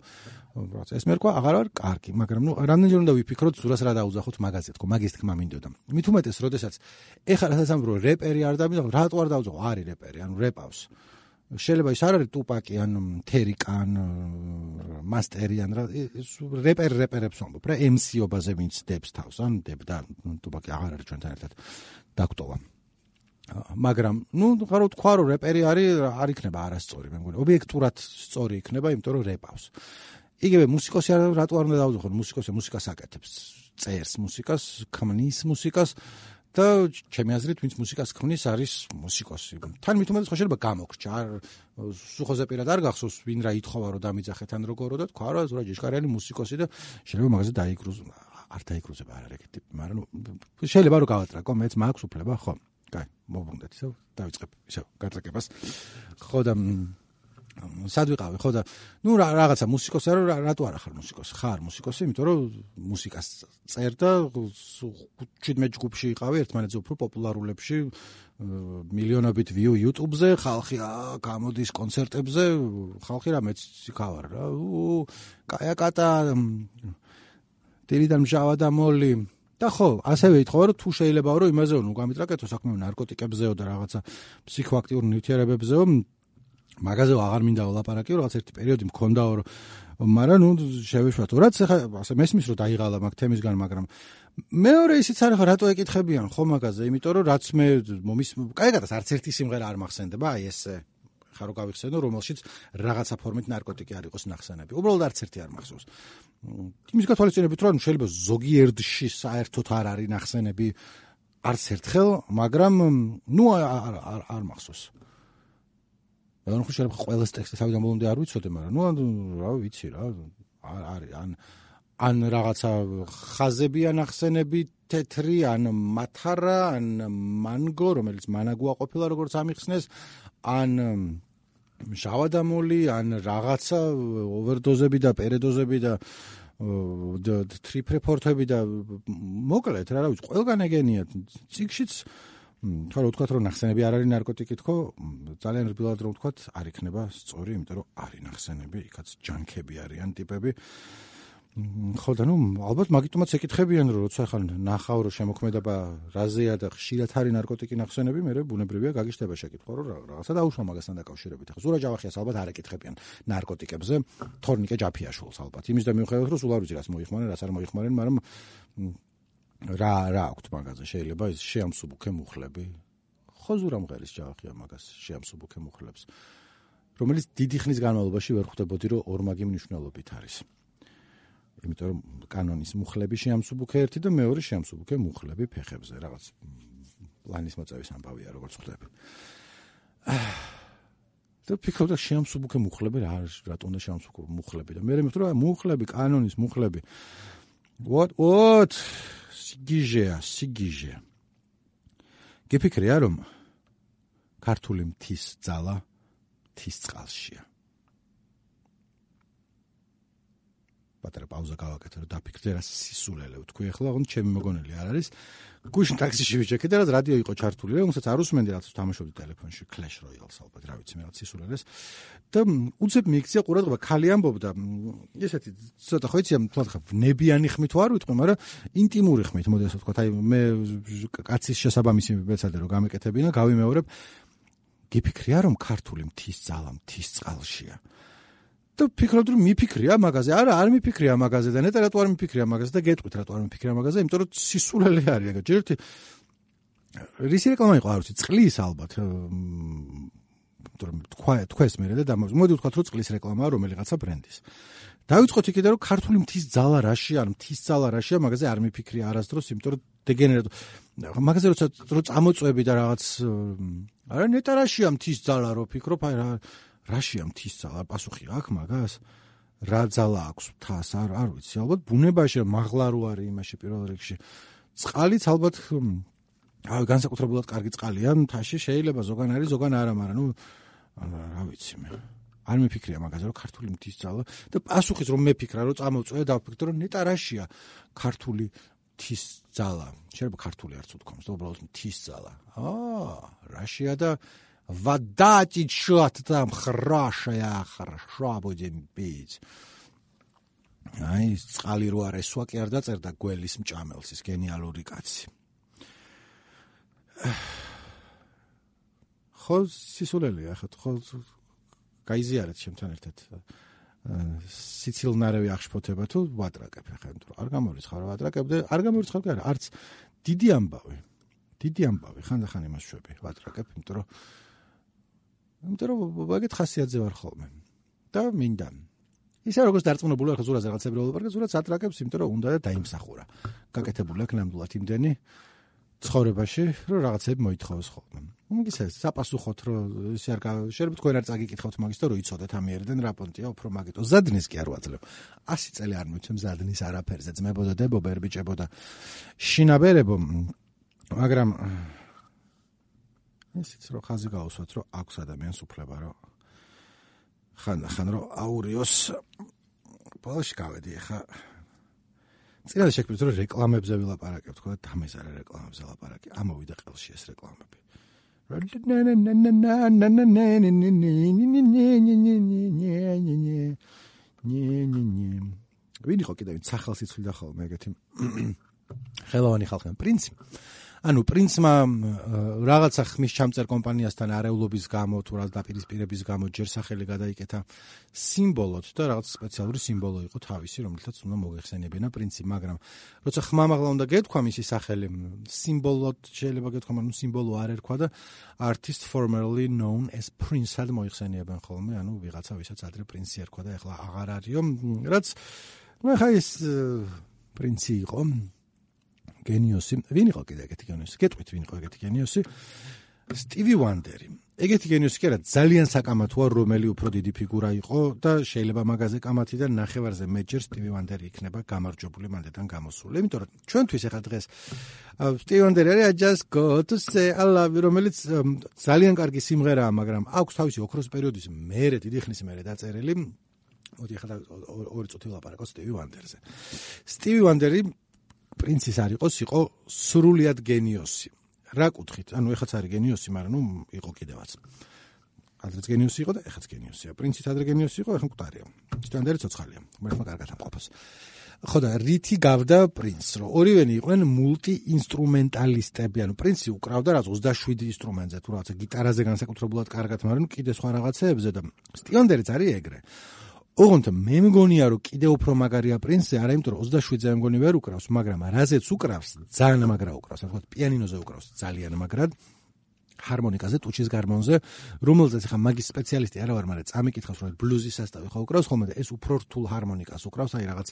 რაც ეს მერქვა აღარ არის კარგი, მაგრამ ნუ რამდენჯერ უნდა ვიფიქროთ ზურას რა დაუძახოთ მაგაზე თქო, მაგის თქმა მინდოდა. მით უმეტეს, როდესაც ეხლა რასაც ამბობ, რომ რეპერი არ დამიძახო, რატო არ დაუძახო? არის რეპერი, ანუ რეპავს. შეიძლება ის არ არის ტუპაკი ან თერიკა ან მასტერი ან რეპერ რეპერებს ვამბობ რა ემ სიობაზე ვინც დებს თავს ან დებდა ტუპაკი აღარ არის ჩვენთან ერთად დაგტოვა. მაგრამ ნუ ხარო თქვა რომ რეპერი არის არ იქნება არასწორი, მე მგონი ობიექტურად სწორი იქნება, იმიტომ რომ რეპავს. იგივე მუსიკოსი არ რატო არ უნდა დაუძახო? მუსიკოსი მუსიკას აკეთებს, წერს მუსიკას, ქმნის მუსიკას და ჩემი აზრით ვინც მუსიკას ქმნის არის მუსიკოსი. თან მით უმეტეს ხო შეიძლება გამოგრჩა, არ სუხოზე პირად არ გახსოვს ვინ რა ითხოვა რომ დამიძახეთ ან როგორო და თქვა რა ზურა ჯიშკარიანი მუსიკოსი და შეიძლება მაგაზე დაიგრუზ არ დაიგრუზება არ არის ეგეთი ტიპი, მაგრამ შეიძლება რომ გავატრაკო, მეც მაქვს უფლება, ხო? კაი, მოbrunდეთ ისევ, დავიწყებ ისევ გატრაკებას. ხო და სად ვიყავი, ხო და ნუ რაღაცა მუსიკოსი არა, რატო არა ხარ მუსიკოსი? ხარ მუსიკოსი, იმიტომ რომ მუსიკას წერ და შვიდმეტ ჯგუფში იყავი, ერთმანეთზე უფრო პოპულარულებში, მილიონობით ვიუ YouTube-ზე, ხალხი გამოდის კონცერტებზე, ხალხი რამეც იქავარ რა. კაია კატა დილიდან მჟავა და მოლი და ხო, ასევე ითხოვა რომ თუ შეიძლებაო რომ იმაზეო ნუ გამიტრაკეთო საქმე ნარკოტიკებზეო და რაღაცა ფსიქოაქტიურ ნივთიერებებზეო, მაგაზეო აღარ მინდა ვლაპარაკიო, რაღაც ერთი პერიოდი მქონდაო, მაგრამ ნუ შევეშვათო. რაც ახლა ასე მესმის რომ დაიღალა მაგ თემისგან, მაგრამ მეორე ისიც არის ხო რატო ეკითხებიან ხო მაგაზე, იმიტომ რომ რაც მე მომის კაიგადას არც ერთი სიმღერა არ მახსენდება, აი ეს ხა რო გავიხსენო, რომელშიც რაღაცა ფორმით ნარკოტიკი არ იყოს ნახსენები. უბრალოდ არც ერთი არ მახსოვს. იმის გათვალისწინებით რომ შეიძლება ზოგიერთში საერთოდ არ არის ნახსენები არც ერთხელ, მაგრამ ნუ არ არ მახსოვს. ანუ ხო შეიძლება ყველას ტექსტი თავიდან ბოლომდე არ ვიცოდე, მაგრამ ნუ რა ვიცი რა, არის ან ან რაღაცა ხაზებია ნახსენები თეთრი, ან მათარა, ან მანგო, რომელიც მანაგუა ყოფილა როგორც ამიხსნეს, ან შავადამოლი, ან რაღაცა ოვერდოზები და პერედოზები და ტრიპრეპორტები და მოკლედ რა ვიცი, ყველგან ეგენია. ციგშიც თქო რა ვთქვათ რომ ნახსენები არ არის ნარკოტიკი, თქო ძალიან რბილად რომ ვთქვათ არ იქნება სწორი, იმიტომ რომ არის ნახსენები, იქაც ჯანქები არიან ტიპები. ხო და ნუ ალბათ მაგიტომაც ეკითხებიან რომ როცა ხან ნახავ რომ შემოქმედება რაზეა და ხშირად არის ნარკოტიკი ნახსენები, მე ბუნებრივია გაგიშტება შეკითხვა რომ რაღაცა დაუშვა მაგასთან დაკავშირებით. ახლა ზურა ჯავახიას ალბათ არ ეკითხებიან ნარკოტიკებზე, თორნიკე ჯაფიაშვილს ალბათ. იმის და მიუხედავად რომ სულ არ ვიცი რას მოიხმარენ, რას არ მოიხმარენ, მაგრამ რა რა აქვს მაგაზე, შეიძლება ის შეამსუბუქე მუხლები. ხო ზურა მღერის ჯავახია მაგას შეამსუბუქე მუხლებს, რომელიც დიდი ხნის განმავლობაში ვერ ხვდებოდი რომ ორმაგი მნიშვნელობით არის. იმიტომ რომ კანონის მუხლები შეამსუბუქე ერთი და მეორე შეამსუბუქე მუხლები ფეხებზე, რაღაც პლანის მოწევის ამბავია, როგორც ხვდები. და ფიქრობდა შეამსუბუქე მუხლები რა არის, რატომ უნდა შეამსუბუქო მუხლები და მე მეთქვა მუხლები, კანონის მუხლები. what what სიგიჟეა, სიგიჟე. გიფიქრია რომ ქართული მთის ძალა მთის წყალშია. პატარა პაუზა გავაკეთე რომ დაფიქრდე რა სისულელე ვთქვი ახლა ოღონდ ჩემი მოგონელი არ არის გუშინ ტაქსიში ვიჭექე და რაც რადიო იყო ჩართული რომელსაც არ უსმენდი რაც თამაშობდი ტელეფონში Clash Royale-ს ალბათ რა ვიცი მე რაც სისულელეს და უცებ მიიქცია ყურადღება ქალი ამბობდა ესეთი ცოტა ხო იცი თქო ნებიანი ხმით ვარ ვიტყვი მაგრამ ინტიმური ხმით მოდი ასე ვთქვა აი მე კაცის შესაბამისი მეცადე რომ გამეკეთებინა გავიმეორებ გიფიქრია რომ ქართული მთის ძალა მთის წყალშია და ფიქრობდი რომ მიფიქრია მაგაზე არა არ მიფიქრია მაგაზე და ნეტა რატო არ მიფიქრია მაგაზე და გეტყვით რატო არ მიფიქრია მაგაზე იმიტომ რომ სისულელე არის ეგ ჯერ ერთი რისი რეკლამა იყო არ ვიცი წყლის ალბათ იმიტომ რომ თქვა თქვეს მე და მოდი ვთქვათ რომ წყლის რეკლამაა რომელიღაცა ბრენდის დავიწყოთ იქიდან რომ ქართული მთის ძალა რაშია ან მთის ძალა რაშია მაგაზე არ მიფიქრია არასდროს იმიტომ რომ დეგენერატო მაგაზე როცა რო წამოწვევი და რაღაც არა ნეტა რაშია მთის ძალა რო ფიქრობ აი რა რაშია მთის ძალა პასუხი აქვს მაგას რა ძალა აქვს მთას არ არ ვიცი ალბათ ბუნებაში მაღლა რო არის იმაში პირველ რიგში წყალიც ალბათ აი განსაკუთრებულად კარგი წყალია მთაში შეიძლება ზოგან არის ზოგან არა მაგრამ ნუ რა ვიცი მე არ მიფიქრია მაგაზე რომ ქართული მთის ძალა და პასუხიც რომ მეფიქრა რომ წამოვწვე და ვფიქრე რომ ნეტა რაშია ქართული მთის ძალა შეიძლება ქართული არც უთქვამს და უბრალოდ მთის ძალა აა რაშია და вода течет там хорошая, хорошо будем пить. Აი, წყალი რო არ ესვა კი არ დაწერდა გველის მჭამელს ის გენიალური კაცი. ხო სისულელია ხო ხო გაიზიარეთ ჩემთან ერთად. სიცილნარევი აღშფოთება თუ ვატრაკებ ხა იმიტომ არ გამორიცხავ ვატრაკებ და არ გამორიცხავ კი არა არც დიდი ამბავი. დიდი ამბავი ხანდახან იმას შვები ვატრაკებ იმიტომ რომ იმიტომ რომ ვაგეთ ხასიათზე ვარ ხოლმე და მინდა ისე როგორც დარწმუნებული ვარ ზურაზე რაღაცები ველაპარაკე ზურაც ატრაკებს იმიტომ რომ უნდა და დაიმსახურა გაკეთებული აქვს ნამდვილად იმდენი ცხოვრებაში რომ რაღაცები მოითხოვოს ხოლმე ისე საპასუხოდ რომ ისე არ შეიძლება თქვენ არ წაგიკითხავთ მაგის და რომ იცოდეთ ამიერიდან რა პონტია უფრო მაგიტო ზადნის კი არ ვაძლევ ასი წელი არ მივცემ ზადნის არაფერზე ძმებოდა დებო ბერბიჭებო და შინაბერებო მაგრამ ისიც რომ ხაზი გაუსვათ რომ აქვს ადამიანს უფლება რომ ხან-ხან რომ აურიოს ბოლოში გავედი ხა წინაზე შეგვიძლია რომ რეკლამებზე ვილაპარაკებ თქო და თამეს არა რეკლამებზე ლაპარაკი ამოვიდა ყელში ეს რეკლამები ვინ იყო კიდევ სახელს იცვლიდა ხოლმე ეგეთი ხელოვანი ხალხი პრინცი ანუ პრინცმა რაღაცა ხმის ჩამწერ კომპანიასთან არეულობის გამო თუ რა დაპირისპირების გამო ჯერ სახელი გადაიკეთა სიმბოლოდ და რაღაც სპეციალური სიმბოლო იყო თავისი რომელთაც უნდა მოიხსენებინა პრინცი მაგრამ როცა ხმამაღლა უნდა გეთქვა მისი სახელი სიმბოლოდ შეიძლება გეთქვა მაგრამ სიმბოლო არ ერქვა და artist formerly known as prince-ად მოიხსენიებენ ხოლმე ანუ ვიღაცა ვისაც ადრე პრინცი ერქვა და ეხლა აღარ არისო რაც ნუ ხა ის პრინცი იყო გენიოსი ვინ იყო კიდე ეგეთი გენიოსი გეტყვით ვინ იყო ეგეთი გენიოსი სტივი ვანდერი ეგეთი გენიოსი კი არა ძალიან საკამათოა რომელი უფრო დიდი ფიგურა იყო და შეიძლება მაგაზე კამათი და ნახევარზე მეჯერ სტივი ვანდერი იქნება გამარჯვებული მანდიდან გამოსული იმიტომ რომ ჩვენთვის ახლა დღეს სტივი ვანდერი არის I just got to say I love you რომელიც ძალიან კარგი სიმღერაა მაგრამ აქვს თავისი ოქროს პერიოდის მერე დიდი ხნის მერე დაწერილი მოდი ახლა ორი წუთი ვლაპარაკო სტივი ვანდერზე სტივი ვანდერი პრინცის არ იყოს, იყო სრულიად გენიოსი. რა კუთხით? ანუ ეხაც არის გენიოსი, მაგრამ ნუ იყო კიდევაც. ადრეც გენიოსი იყო და ეხაც გენიოსია. პრინცის ადრე გენიოსი იყო, ეხლა მკვდარია. სტანდარტი ცოცხალია. მართლა კარგად ამყოფოს. ხო და რითი გავდა პრინცს, რომ ორივენი იყვნენ მულტიინსტრუმენტალისტები, ანუ პრინცი უკრავდა რაც ოცდაშვიდი ინსტრუმენტზე, თუ რაღაცა გიტარაზე განსაკუთრებულად კარგად, მაგრამ კიდე სხვა რაღაცეებზე და სტივანდერიც არის ეგრე. ოღონდ მე მგონია რომ კიდე უფრო მაგარია პრინცი, არა იმიტომ რომ ოცდაშვიდზე მე მგონი ვერ უკრავს, მაგრამ რაზეც უკრავს, ძალიან მაგრა უკრავს, ასე ვთქვათ, პიანინოზე უკრავს ძალიან მაგრად. ჰარმონიკაზე, ტუჩის გარმონზე, რომელზეც ხა მაგის სპეციალისტი არა ვარ, მაგრამ წამიკითხავს, რომ ბლუზის სასტავი ხო უკრავს ხოლმე და ეს უფრო რთულ ჰარმონიკას უკრავს, აი რაღაც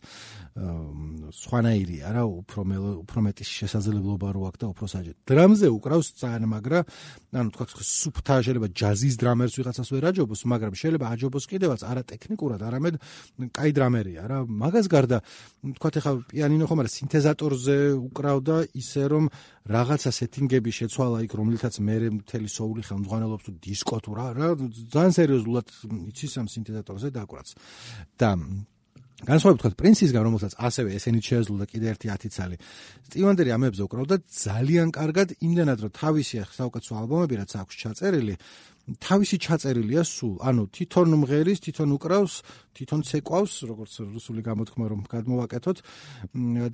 სხვანაირია რა, უფრო უფრო მეტი შესაძლებლობა რო აქვს და უფრო საჯეთ. დრამზე უკრავს ძალიან მაგრა, ანუ თქვა სუფთა შეიძლება ჯაზის დრამერს ვიღაცას ვერ აჯობოს, მაგრამ შეიძლება აჯობოს კიდევაც არა ტექნიკურად, არამედ კაი დრამერია რა. მაგას გარდა თქვა ხა პიანინო ხომ არა, სინთეზატორზე უკრავდა ისე რომ რაღაცა სეტინგები შეცვალა იქ, რომლითაც მე მთელი სოული ხელმძღვანელობს თუ დისკო თუ რა, რა ძალიან სერიოზულად იცის ამ სინთეზატორზე დაკვრაც. და განსხვავებით თქვა პრინსისგან, რომელსაც ასევე ესენიც შეეძლო და კიდე ერთი ათი ცალი. სტივ ვანდერი ამებზე უკრავდა ძალიან კარგად, იმდენად რომ თავისი საუკეთესო ალბომები რაც აქვს ჩაწერილი, თავისი ჩაწერილია სულ. ანუ თვითონ მღერის, თვითონ უკრავს, თვითონ ცეკვავს, როგორც რუსული გამოთქმა რომ გადმოვაკეთოთ.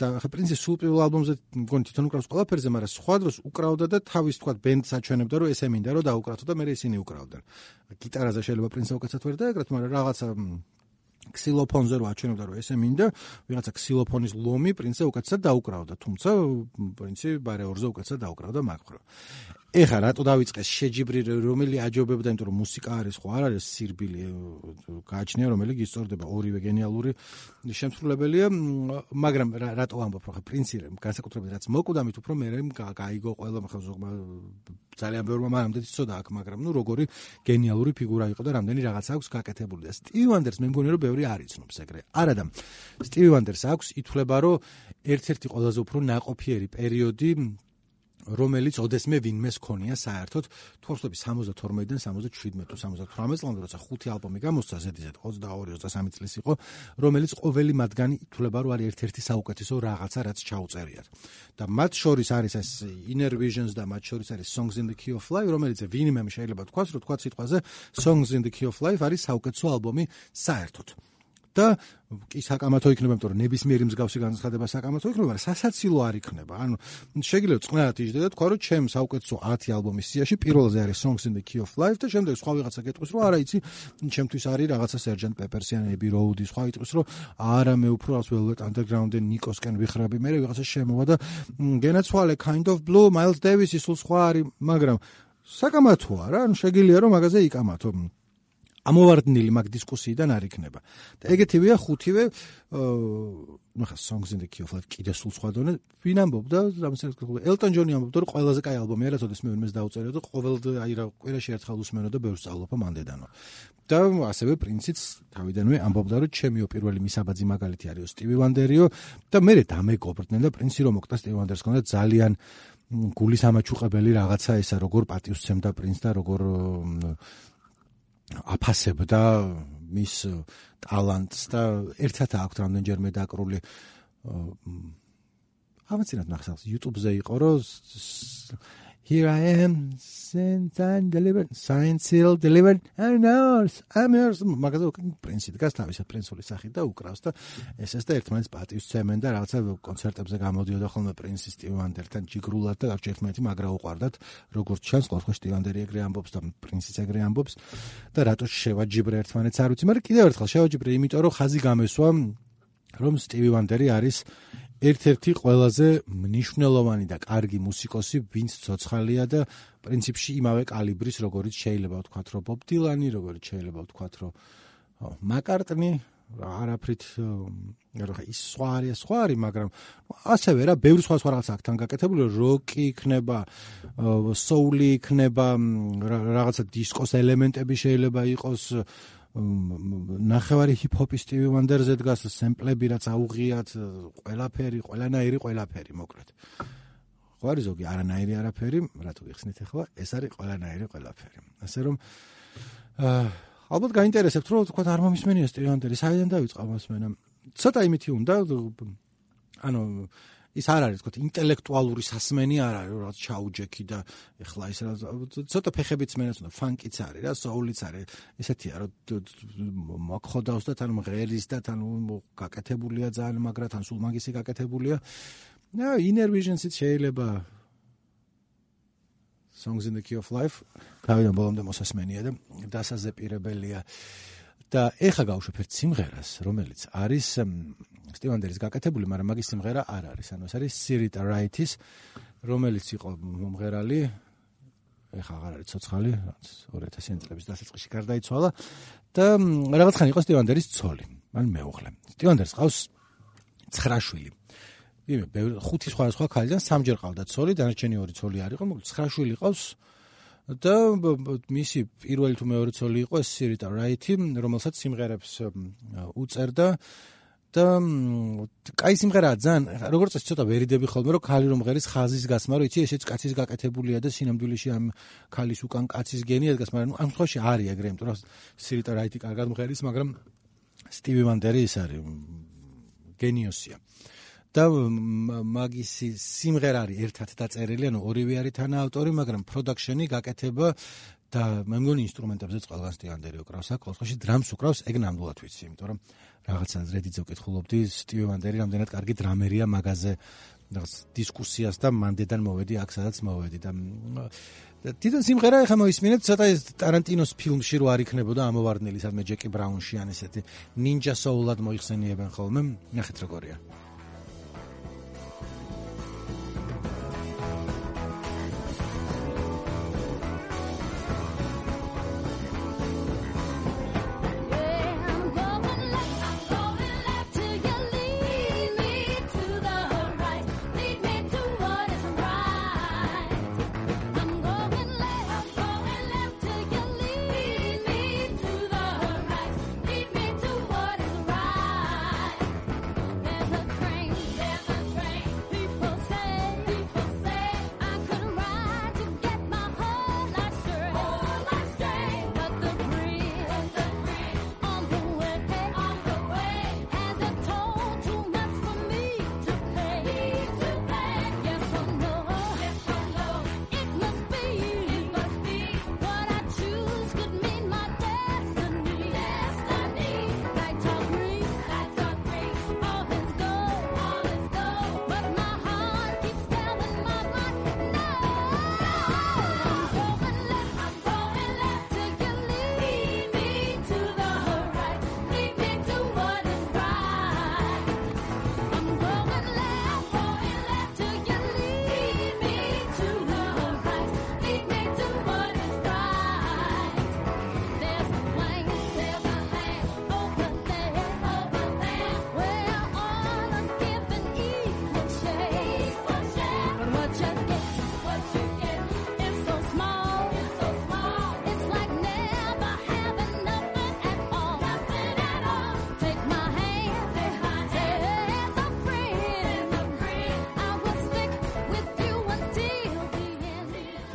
და ხა პრინცი სულ პირველ ალბომზე მგონი თვითონ უკრავს ყველაფერზე, მაგრამ სხვა დროს უკრავდა და თავის თქვა ბენდს აჩვენებდა, რომ ესე მინდა რომ დაუკრათო და მე ისინი უკრავდნენ. გიტარაზე შეიძლება პრინცს უკეთესად ვერ დაეკრათ, მაგრამ რაღაცა ქსილოფონზე რო აჩვენებდა რომ ესე მინდა, ვიღაცა ქსილოფონის ლომი პრინცზე უკეთესად დაუკრავდა, თუმცა პრინცი ბარეორზე უკეთესად დაუკრავდა მაგხრო. ეხა რატო დავიწყეს შეჯიბრი რომელი აჯობებდა, იმიტომ რომ მუსიკა არის ხო არ არის სირბილი გააჩნია რომელი გისწორდება, ორივე გენიალური შემსრულებელია, მაგრამ რატო ვამბობ რომ ხა პრინცი განსაკუთრებით რაც მოკვდა მით უფრო მე გაიგო ყველა ხა ზოგმა ძალიან ბევრმა მანამდე იცოდა აქ, მაგრამ ნუ როგორი გენიალური ფიგურა იყო და რამდენი რაღაც აქვს გაკეთებული და სტივ ვანდერს მე მგონი რომ ბევრი არ იცნობს ეგრე. არადა სტივ ვანდერს აქვს ითვლება რომ ერთ-ერთი ყველაზე უფრო ნაყოფიერი პერიოდი რომელიც ოდესმე ვინმეს ქონია საერთოდ თორსები სამოცდათორმეტიდან სამოცდაშვიდმეტ თუ სამოცდათვრამეტ წლამდე როცა ხუთი ალბომი გამოსცა ზედიზედ ოცდაორი ოცდასამი წლის იყო, რომელიც ყოველი მათგანი ითვლება რომ არის ერთ-ერთი საუკეთესო რაღაცა რაც ჩაუწერიათ. და მათ შორის არის ეს Inner Visions და მათ შორის არის Songs in the Key of Life, რომელიც ვინმემ შეიძლება თქვას, რომ თქვა სიტყვაზე Songs in the Key of Life არის საუკეთესო ალბომი საერთოდ. და კი საკამათო იქნება, იმიტომ რომ ნებისმიერი მსგავსი განცხადება საკამათო იქნება, მაგრამ სასაცილო არ იქნება. ანუ შეგიძლიათ წყნარად იჯდე და თქვა რომ ჩემ საუკეთესო ათი ალბომის სიაში პირველზე არის Songs in the Key of Life და შემდეგ სხვა ვიღაცა გეტყვის რომ არა იცი, ჩემთვის არის რაღაცა Sergeant Pepper's ან Abbey Road, სხვა იტყვის რომ არა მე უფრო ას Velvet Underground-ენ ნიკოსკენ ვიხრები, მე ვიღაცა შემოვა და გენაცვალე Kind of Blue, Miles Davis-ის სულ სხვა არის, მაგრამ საკამათოა რა, ანუ შეგიძლია რომ მაგაზე იკამათო. ამოვარდნილი მაგ დისკუსიიდან არ იქნება. და ეგეთივეა ხუთივე, ნუ ხა Songs in the Key of Life კიდე სულ სხვა დონე, ვინ ამბობდა, ელტონ ჯონი ამბობდა, რომ ყველაზე კაი ალბომია, რაც ოდესმე ვინმეს დაუწერია და ყოველ აი რა კვირაში ერთხელ უსმენო და ბევრს სწავლობ მანდედანო. და ასევე პრინციც თავიდანვე ამბობდა, რომ ჩემიო პირველი მისაბაძი მაგალითი არისო სტივი ვანდერიო და მე დამეგობრდნენ და პრინცი რომ მოკტა სტივი ვანდერს ქონდა ძალიან გულის ამაჩუყებელი რაღაცა ესა, როგორ პატივსცემდა პრინცს და როგორ აფასებდა მის ტალანტს და ერთად აქვს რამდენჯერმე დაკრული ამაცინათ ნახსავს YouTube-ზე იყო რომ Here I am, sent and delivered, signed, sealed, delivered, and yours, I'm yours. მაგაზე პრინცი დგას თავისა პრინცული სახით და უკრავს და ესეც და ერთმანეთს პატივსცემენ და რაღაცა კონცერტებზე გამოდიოდა ხოლმე პრინცი სტივ ვანდერთან ჯიგრულად და ერთმანეთი მაგრა უყვარდათ, როგორც ჩანს, ხო სტივ ვანდერი ეგრე ამბობს და პრინციც ეგრე ამბობს და რატო შევაჯიბრე ერთმანეთს არ ვიცი, მაგრამ კიდევ ერთხელ შევაჯიბრე იმიტომ რომ ხაზი გამესვა რომ სტივი ვანდერი არის ერთ-ერთი ყველაზე მნიშვნელოვანი და კარგი მუსიკოსი, ვინც ცოცხალია და პრინციპში იმავე კალიბრის, როგორიც შეიძლება ვთქვათ, რომ ბობ დილანი, როგორიც შეიძლება ვთქვათ, რომ მაკარტნი, არაფრით, რა ის სხვა არის, სხვა არის, მაგრამ ასევე რა, ბევრი სხვა სხვა რაღაცა აქთან გაკეთებული, როკი იქნება, соуლი იქნება, რაღაცა დისკოს ელემენტები შეიძლება იყოს, ნახევარი ჰიპ-ჰოპის სტივი ვანდერზე დგას, სემპლები რაც აუღიათ, ყველაფერი, ყველანაირი ყველაფერი, მოკლედ. ხო არის ზოგი არანაირი არაფერი, რატო გიხსნით ახლა, ეს არის ყველანაირი ყველაფერი. ასე რომ აა ალბათ გაინტერესებთ, რომ თქვა არ მომისმენია სტივი ვანდერი, საიდან დაიწყო მოსმენა. ცოტა იმითი უნდა, ანუ ის არ არის, თქო, ინტელექტუალური სასმენი არ არის, რაც ჩაუჯექი და ეხლა ის ცოტა ფეხებიც მენაც უნდა, ფანკიც არის რა, соуლიც არის. ესეთია, რომ მოგხოდავს და თან მღერის და თან გაკეთებულია ძალიან, მაგრამ თან სულ მაგისი გაკეთებულია. და Inner Visions-იც შეიძლება Songs in the Key of Life, თავიდან ბოლომდე მოსასმენია და დასაზეპირებელია. და ეხა გავუშვებ ერთ სიმღერას, რომელიც არის სტივ ვანდერის გაკეთებული, მაგრამ მაგის სიმღერა არ არის. ანუ ეს არის Sirita Wright-ის, რომელიც იყო მომღერალი ეხა აღარ არის ცოცხალი, ორი ათასიანი წლების დასაწყისში გარდაიცვალა და რაღაცხანი იყო სტივ ვანდერის ცოლი, ან მეუღლე. სტივ ვანდერს ყავს ცხრა შვილი. იმე ხუთი სხვადასხვა ქალიდან სამჯერ ყავდა ცოლი, დანარჩენი ორი ცოლი არ იყო, მოკლედ ცხრა შვილი ყავს და მისი პირველი თუ მეორე ცოლი იყო სირიტა რაითი, რომელსაც სიმღერებს უწერდა და კაი სიმღერაა ძალიან, როგორც წესი ცოტა ვერიდები ხოლმე, რომ ქალი რომ ღერის ხაზის გასმა, რომ იცი ესეც კაცის გაკეთებულია და სინამდვილეში ამ ქალის უკან კაცის გენია დგას, მაგრამ ამ შემთხვევაში არის ეგრე, იმიტომ რომ სირიტა რაითი კარგად მღერის, მაგრამ სტივი ვანდერი ის არის გენიოსია. და მაგის სიმღერა არის ერთად დაწერილი, ანუ ორივე არის თანაავტორი, მაგრამ პროდაქშენი, გაკეთება და მე მგონი ინსტრუმენტებზეც ყველგან სტივ ვანდერი უკრავს, აქ ყოველთვის დრამს უკრავს, ეგ ნამდვილად ვიცი, იმიტომ რომ რაღაცა რედიძე ვკითხულობდი, სტივ ვანდერი რამდენად კარგი დრამერია მაგაზე რაღაც დისკუსიას და მანდედან მოვედი აქ სადაც მოვედი და თვითონ სიმღერა ეხა მოისმინეთ, ცოტა ეს ტარანტინოს ფილმში რო არ იქნებოდა ამოვარდნილი სადმე ჯეკი ბრაუნში ან ესეთი ნინჯა სოულად მოიხსენიებენ ხოლმე, ნახეთ როგორია.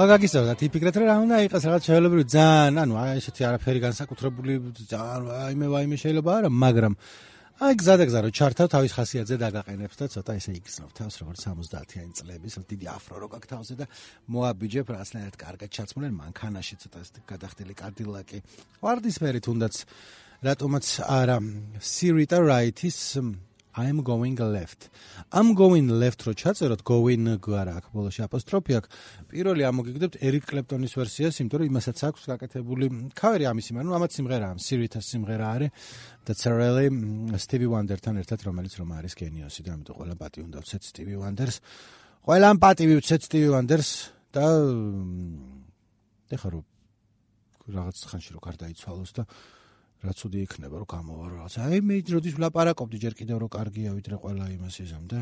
გაგისწორდა თიფიქრეთ რა უნდა იყოს რაღაც შეელებრივი ძალიან, ანუ აი ესეთი არაფერი განსაკუთრებული ძალიან აიმე ვაიმე შეიძლება არა, მაგრამ აი გზადაგზა რომ ჩართავ თავის ხასიათზე დაგაყენებს და ცოტა ესე იგრძნობ თავს როგორც სამოცდაათიანი წლების დიდი აფრო რო გაქვს თავზე და მოაბიჯებ რაღაცნაირად კარგად ჩაცმულენ მანქანაში ცოტა გადახდილი კადილაკი. ვარდისფერი თუნდაც რატომაც არა სირიტა რაითის I'm going left. I'm going left რო ჩაწეროთ, going არა აქ ბოლოში აპოსტროფი აქვს. პირველი ამოგიგდებთ ერიკ კლეპტონის ვერსიას, იმიტომ რომ იმასაც აქვს გაკეთებული ქავერი ამისი, მაგრამ ამაც სიმღერაა, სირიტას სიმღერა არის და წერელი სტივი ვანდერთან ერთად, რომელიც რომ არის გენიოსი და ამიტომ ყველა პატი უნდა ვცეთ სტივი ვანდერს. ყველამ პატივი ვცეთ სტივი ვანდერს და ეხლა რომ რაღაც ხანში რო გარდაიცვალოს და რაც უდი იქნება რომ გამოვა რაღაც. აი მე როდის ვლაპარაკობდი ჯერ კიდევ რომ კარგია ვიდრე ყველა იმას იზამ და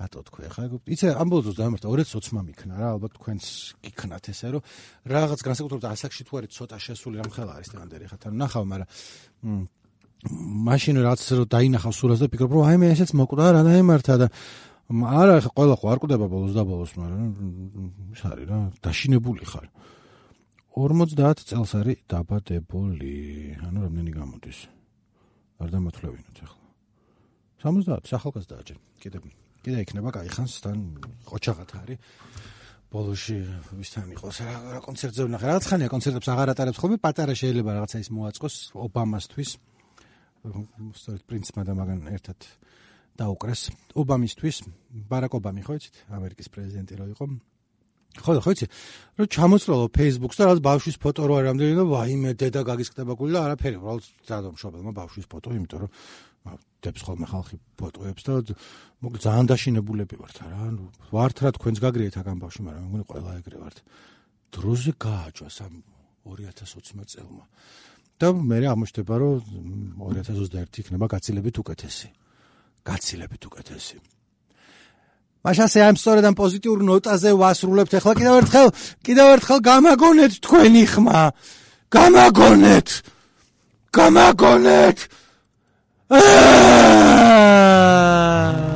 რატო თქვი ხა იცი ამბოლოს დამართა ორი ათას ოცი მიქნა რა ალბათ თქვენს გიქნათ ესე რომ რაღაც განსაკუთრებით ასაკში თუ არის ცოტა შესული რამ ხელა არის ტენდერი ხა თან ნახავ მაგრამ მაშინ რაღაც რომ დაინახავ სურას და ფიქრობ რომ აი მე ესეც მოკვდა რა დაემართა და არა ხა ყველა ხო არ კვდება ბოლოს და ბოლოს მაგრამ ის არის რა დაშინებული ხარ ორმოცდაათ წელს არის დაბადებული. ანუ რამდენი გამოდის? არ დამათვლევინოთ ახლა. სამოცდაათი ახალგაზრდა ჯერ. კიდე კიდე იქნება კაი ხანს თან ყოჩაღათ არის. ბოლოში ვისთან იყოს რა კონცერტზე ვნახე. რაღაც ხანია კონცერტებს აღარ ატარებს ხოლმე, პატარა შეიძლება რაღაცა ის მოაწყოს ობამასთვის. სწორედ პრინცმა და მაგან ერთად დაუკრეს ობამისთვის. ბარაკ ობამი ხო იცით? ამერიკის პრეზიდენტი რო იყო. ხო ხო იცი რომ ჩამოწრალო Facebook-ს და რაღაც ბავშვის ფოტო რო არის რამდენი და ვაიმე დედა გაგისკდება გული და არაფერი უბრალოდ ძალიან მშობელმა ბავშვის ფოტო იმიტომ რომ დებს ხოლმე ხალხი ფოტოებს და მოკლედ ძალიან დაშინებულები ვართ რა ვართ რა თქვენს გაგრიეთ აგან ბავშვი მაგრამ მე მგონი ყველა ეგრე ვართ დროზე გააჯვას ამ ორი ათას ოცდაათი წელმა. და მე აღმოჩნდება, რომ ორი ათას ოცდაერთი იქნება გაცილებით უკეთესი. გაცილებით უკეთესი. მაშასე ამ სწორედ ამ პოზიტიურ ნოტაზე ვასრულებთ. ახლა კიდევ ერთხელ, კიდევ ერთხელ გამაგონეთ თქვენი ხმა. გამაგონეთ. გამაგონეთ. აა